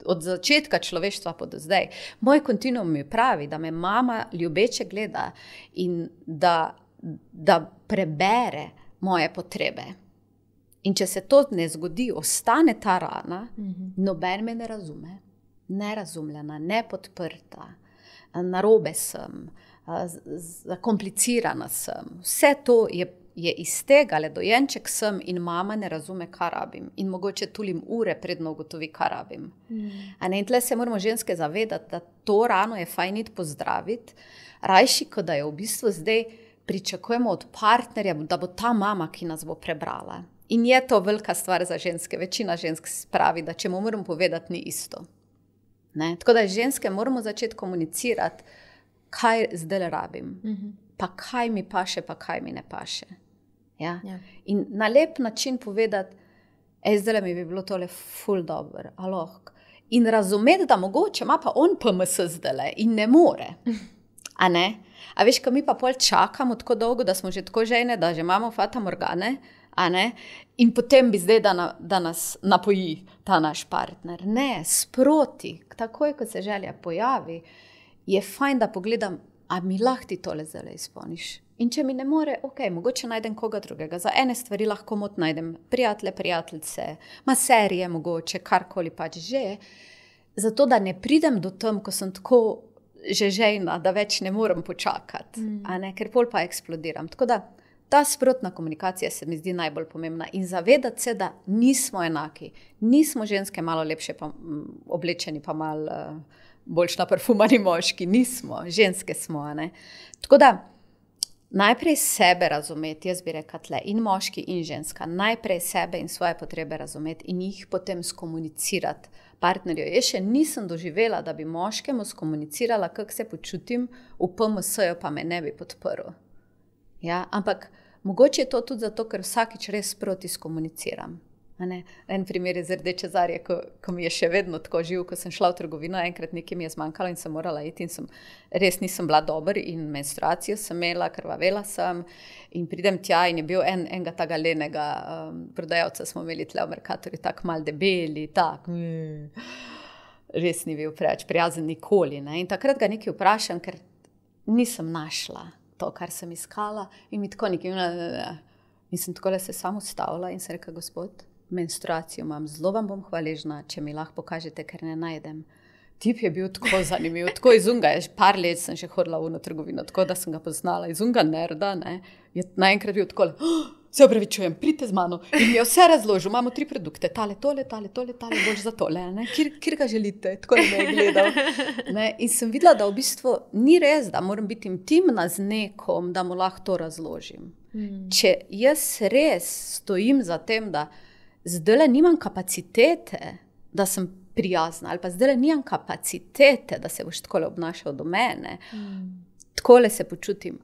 od začetka človeštva pa do zdaj. Moj kontinuum mi pravi, da me mama ljubeče gleda in da prebere moje potrebe. In če se to ne zgodi, ostane ta rana, noben me ne razume. Nerazumljena, nepodprta, narobe sem, zakomplicirana sem. Vse to je iz tega, le dojenček sem in mama ne razume, kaj rabim. In mogoče tulim ure, predno ugotovi, kaj rabim. In tle se moramo ženske zavedati, da to rano je fajn iti pozdraviti, rajši, kot da je v bistvu zdaj pričakujemo od partnerja, da bo ta mama, ki nas bo prebrala. In je to velika stvar za ženske. Večina žensk pravi, da če mu moram povedati, ni isto. Tako da ženske moramo začeti komunicirati, kaj zdaj rabim, pa kaj mi paše, pa kaj mi ne paše. In na lep način povedati, zdaj mi bi bilo tole ful dobro, in razumeti, da mogoče ima pa on PMS zdaj in ne more. A veš, ko mi pa pol čakamo tako dolgo, da smo že tako žejne, da že imamo fata morgane, in potem bi zdaj, da nas napoji ta naš partner. Ne, sproti, takoj, ko se želja pojavi, je fajn, da pogledam, a mi lahko ti tole zdaj izpolniš. In če mi ne more, ok, mogoče najdem koga drugega. Za ene stvari lahko najdem prijateljice, maserije mogoče, karkoli pač že. Zato, da ne pridem do tam, ko sem tako že žejna, da več ne morem počakati, ker pol pa eksplodiram. Tako da ta sprotna komunikacija se mi zdi najbolj pomembna in zavedati se, da nismo enaki. Nismo ženske malo lepše oblečeni, pa malo boljš naparfumani moški. Nismo, ženske smo. Tako da najprej sebe razumeti, jaz bi rekla tle, in moški in ženska, najprej sebe in svoje potrebe razumeti in jih potem skomunicirati partnerju. Jaz še nisem doživela, da bi moškemu skomunicirala, kako se počutim, v PMS-ju pa me ne bi podprl. Ja, ampak mogoče je to tudi zato, ker vsakič res sproti skomuniciram. En primer je z Rdeče Zarje, ko mi je še vedno tako živ, ko sem šla v trgovino, enkrat nekaj mi je zmanjkalo in sem morala iti in res nisem bila dober in menstruacijo sem imela, krvavela sem in pridem tja in je bil enega taga lenega prodajalca, smo imeli tle v Mercatorju, tako mal debeli, res ni bil preveč prijazen nikoli. In takrat ga nekaj vprašam, ker nisem našla to, kar sem iskala in mi tako nekaj in sem takole se samo ustavila in sem rekla, gospod, menstruacijo imam, zelo vam bom hvaležna, če mi lahko pokažete, ker ne najdem. Tip je bil tako zanimiv, tako iz unga, par let sem že hodila v trgovino, tako da sem ga poznala, iz unga nerda, je naenkrat bil tako, se opravičujem, pridite z mano in mi je vse razložil, imamo 3 produkte, tale, boljš za tole, kjer ga želite, tako da me je gledal. In sem videla, da v bistvu ni res, da moram biti intimna z nekom, da mu lahko to razložim. Če jaz res stojim za tem, da zdajle nimam kapacitete, da sem prijazna, ali pa zdajle nimam kapacitete, da se boš takole obnašal do mene, takole se počutim,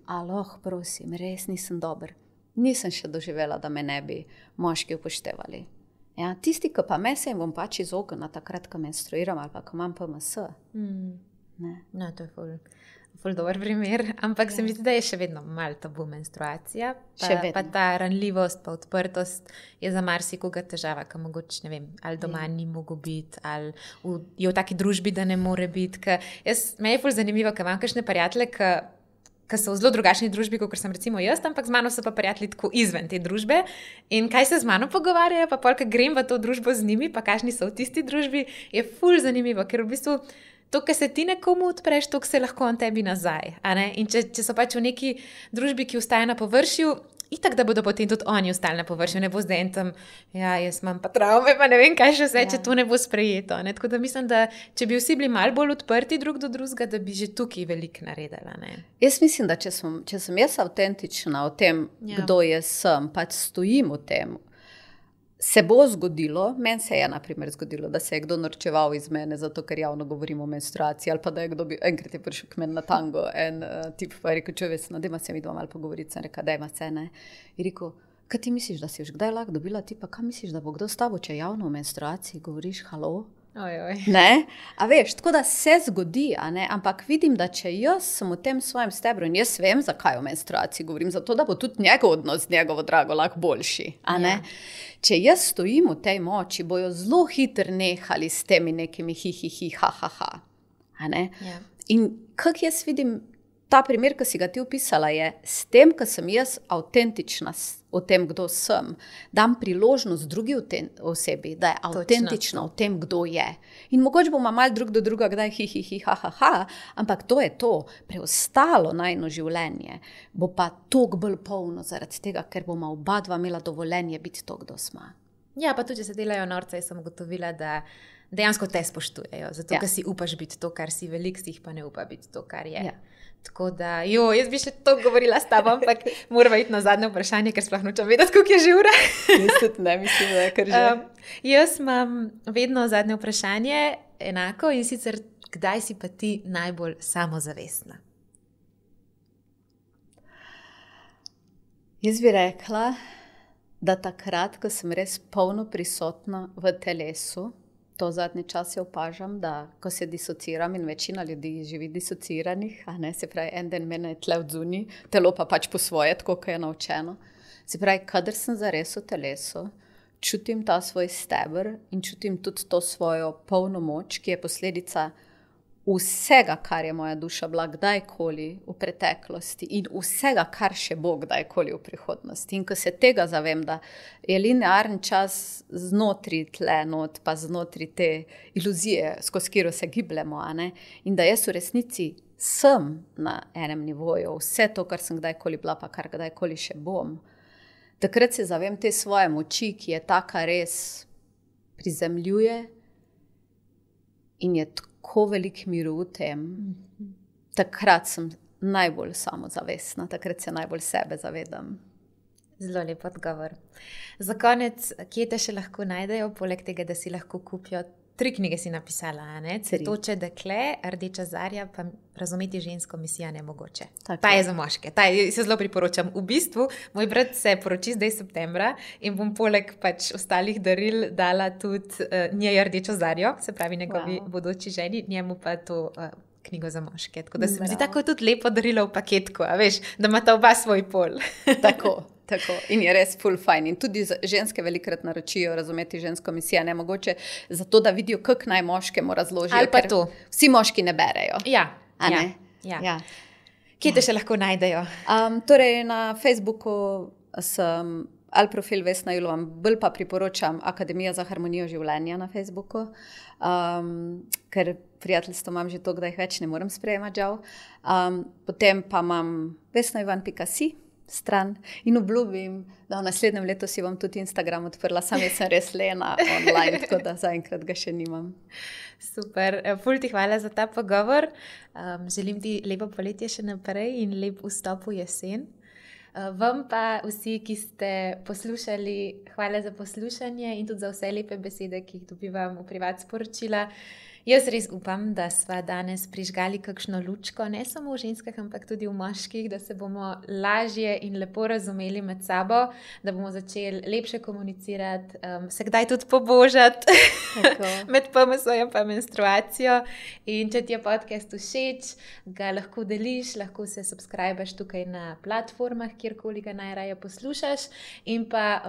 prosim, res nisem dober. Nisem še doživela, da me ne bi moški upoštevali. Ja, tisti, ki pa me se jim bom pač izognila takrat, ko menstruiram ali pa ko imam PMS. No, to je ful dober primer, ampak se mi zdi, da je še vedno malo tabu menstruacija, pa ta ranljivost, pa odprtost je za marsikoga težava, ki mogoče, ne vem, ali doma ni mogo biti, ali je v taki družbi, da ne more biti. Me je ful zanimivo, ker imam kakšne prijatelje, ki so v zelo drugačni družbi, kot sem recimo jaz, ampak z mano so pa prijatelji tako izven te družbe in kaj se z mano pogovarjajo, pa polka grem v to družbo z njimi, pa kakšni so v tisti družbi, je ful zanimivo, ker v bistvu to, kar se ti nekomu odpreš, to, se lahko on tebi nazaj. In če so pač v neki družbi, ki ustaja na površju, itak, da bodo potem tudi oni ostali na površju, ne bo zdaj en tam, jaz imam pa travme, pa ne vem, kaj še vse, če to ne bo sprejeto. Tako da mislim, da če bi vsi bili malo bolj odprti drug do drugega, da bi že tukaj veliko naredila. Jaz mislim, da če sem jaz avtentična o tem, kdo jaz sem, pač stojim v tem, se bo zgodilo, meni se je na primer zgodilo, da se je kdo norčeval iz mene, zato ker javno govorim o menstruaciji, ali pa da je kdo enkrat je prišel k meni na tango, en tip pa je rekel, čovesno, dajma se mi dva malo pogovoriti, sem rekel, dajma se, ne. In rekel, kaj ti misliš, da si už kdaj lahko dobila tipa, kaj misliš, da bo kdo s tabo, če javno o menstruaciji govoriš, halo? Ne? A veš, tako da se zgodi, ampak vidim, da če jaz sem v tem svojem stebru in jaz vem, zakaj o menstruaciji govorim, zato da bo tudi njegov odnos z njegovo drago lahko boljši, Če jaz stojim v tej moči, bojo zelo hitro nehali s temi nekimi ha. In kak jaz vidim, ta primer, ki si ga ti opisala, je s tem, ko sem jaz avtentična o tem, kdo sem, dam priložnost drugi osebi, da je avtentična o tem, kdo je. In mogoče bomo malo drug do druga, kdaj ha, ampak to je to. Preostalo najino življenje bo pa toliko bolj polno zaradi tega, ker bomo oba dva imela dovoljenje biti to, kdo smo. Ja, pa tudi, če se delajo norca, jaz sem ugotovila, da dejansko te spoštujejo, zato ker si upaš biti to, kar si, veliko si jih pa ne upa biti to, kar je. Ja. Tako da, jaz bi še to govorila s tabo, ampak moramo iti na zadnje vprašanje, ker sploh nočem vedeti, koliko je že ura. Ne, mislim, da je kar že. Jaz imam vedno zadnje vprašanje enako in sicer, kdaj si pa ti najbolj samozavestna? Jaz bi rekla, da takrat, ko sem res polno prisotna v telesu, to zadnji čas je opažam, da ko se disociram in večina ljudi živi disociranih, se pravi, en den mene je tle odzuni, telo pa pač po svoje, tako kot je naučeno. Se pravi, kadar sem zares v telesu, čutim ta svoj steber in čutim tudi to svojo polno moč, ki je posledica vsega, kar je moja duša bila kdajkoli v preteklosti in vsega, kar še bo kdajkoli v prihodnosti. In ko se tega zavem, da je linearen čas znotraj tle not, pa znotraj te iluzije, skozi katero se gibljemo, a ne? In da jaz v resnici sem na enem nivoju, vse to, kar sem kdajkoli bila, pa kar kdajkoli še bom, takrat se zavem te svoje moči, ki je taka res prizemljuje in je tako velik miru v tem. Takrat sem najbolj samozavestna, takrat se najbolj sebe zavedam. Zelo lep odgovor. Za konec, kje te še lahko najdejo, poleg tega, da si lahko kupijo? 3 knjige si napisala, ne? Cvetoče dekle, Rdeča zarja, pa Razumeti žensko, Misija nemogoče. Tako. Ta je za moške, ta se zelo priporočam. V bistvu, moj brat se poroči zdaj septembra in bom poleg pač ostalih daril dala tudi njej Rdečo zarjo, se pravi njegovi bodoči ženi, njemu pa to knjigo za moške. Tako da se mi zdi tako tudi lepo darilo v paketku, a veš, da imata oba svoj pol. Tako. In je res full fajn. In tudi ženske velikrat naročijo Razumeti žensko, Misija nemogoče, zato da vidijo, kako naj moškemu razložijo. Ali pa to. Vsi moški ne berejo. Ja. Kje te še lahko najdejo? Torej na Facebooku sem ali profil Vesna Julovan, bolj pa priporočam Akademija za harmonijo življenja na Facebooku, ker prijateljstvo imam že to, da jih več ne morem sprejemati, žal. Potem pa imam vesnajuvan.si stran in obljubim, da v naslednjem letu si bom tudi Instagram odprla, sam jaz sem res lena online, tako da zaenkrat ga še nimam. Super, ful ti hvala za ta pogovor. Želim ti lepo poletje še naprej in lep vstop v jesen. Vam pa vsi, ki ste poslušali, hvala za poslušanje in tudi za vse lepe besede, ki jih dobivam v privat sporočila. Jaz res upam, da sva danes prižgali kakšno lučko, ne samo v ženskah, ampak tudi v moških, da se bomo lažje in lepo razumeli med sabo, da bomo začeli lepše komunicirati, se kdaj tudi pobožati med PMS-jem pa menstruacijo. In če ti je podcast všeč, ga lahko deliš, lahko se subscribeš tukaj na platformah, kjerkoli ga najraje poslušaš. In pa,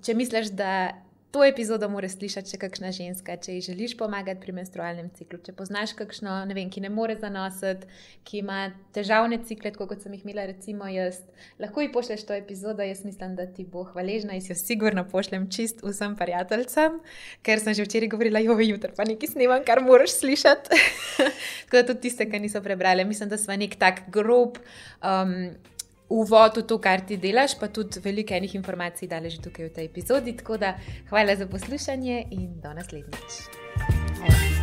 če misliš, da to epizodo mora slišati še kakšna ženska, če ji želiš pomagati pri menstrualnem ciklu, če poznaš kakšno, ne vem, ki ne more zanositi, ki ima težavne cikle, tako kot sem jih imela recimo jaz, lahko ji pošleš to epizodo, jaz mislim, da ti bo hvaležna in si jo sigurno pošljem čist vsem prijateljcem, ker sem že včeraj govorila, jutri pa nekaj snemam, kar moraš slišati. Tako da tudi tiste, ki niso prebrali, mislim, da sva nek tak grob uvod v to, kar ti delaš, pa tudi veliko enih informacij dale že tukaj v tej epizodi, tako da hvala za poslušanje in do naslednjič.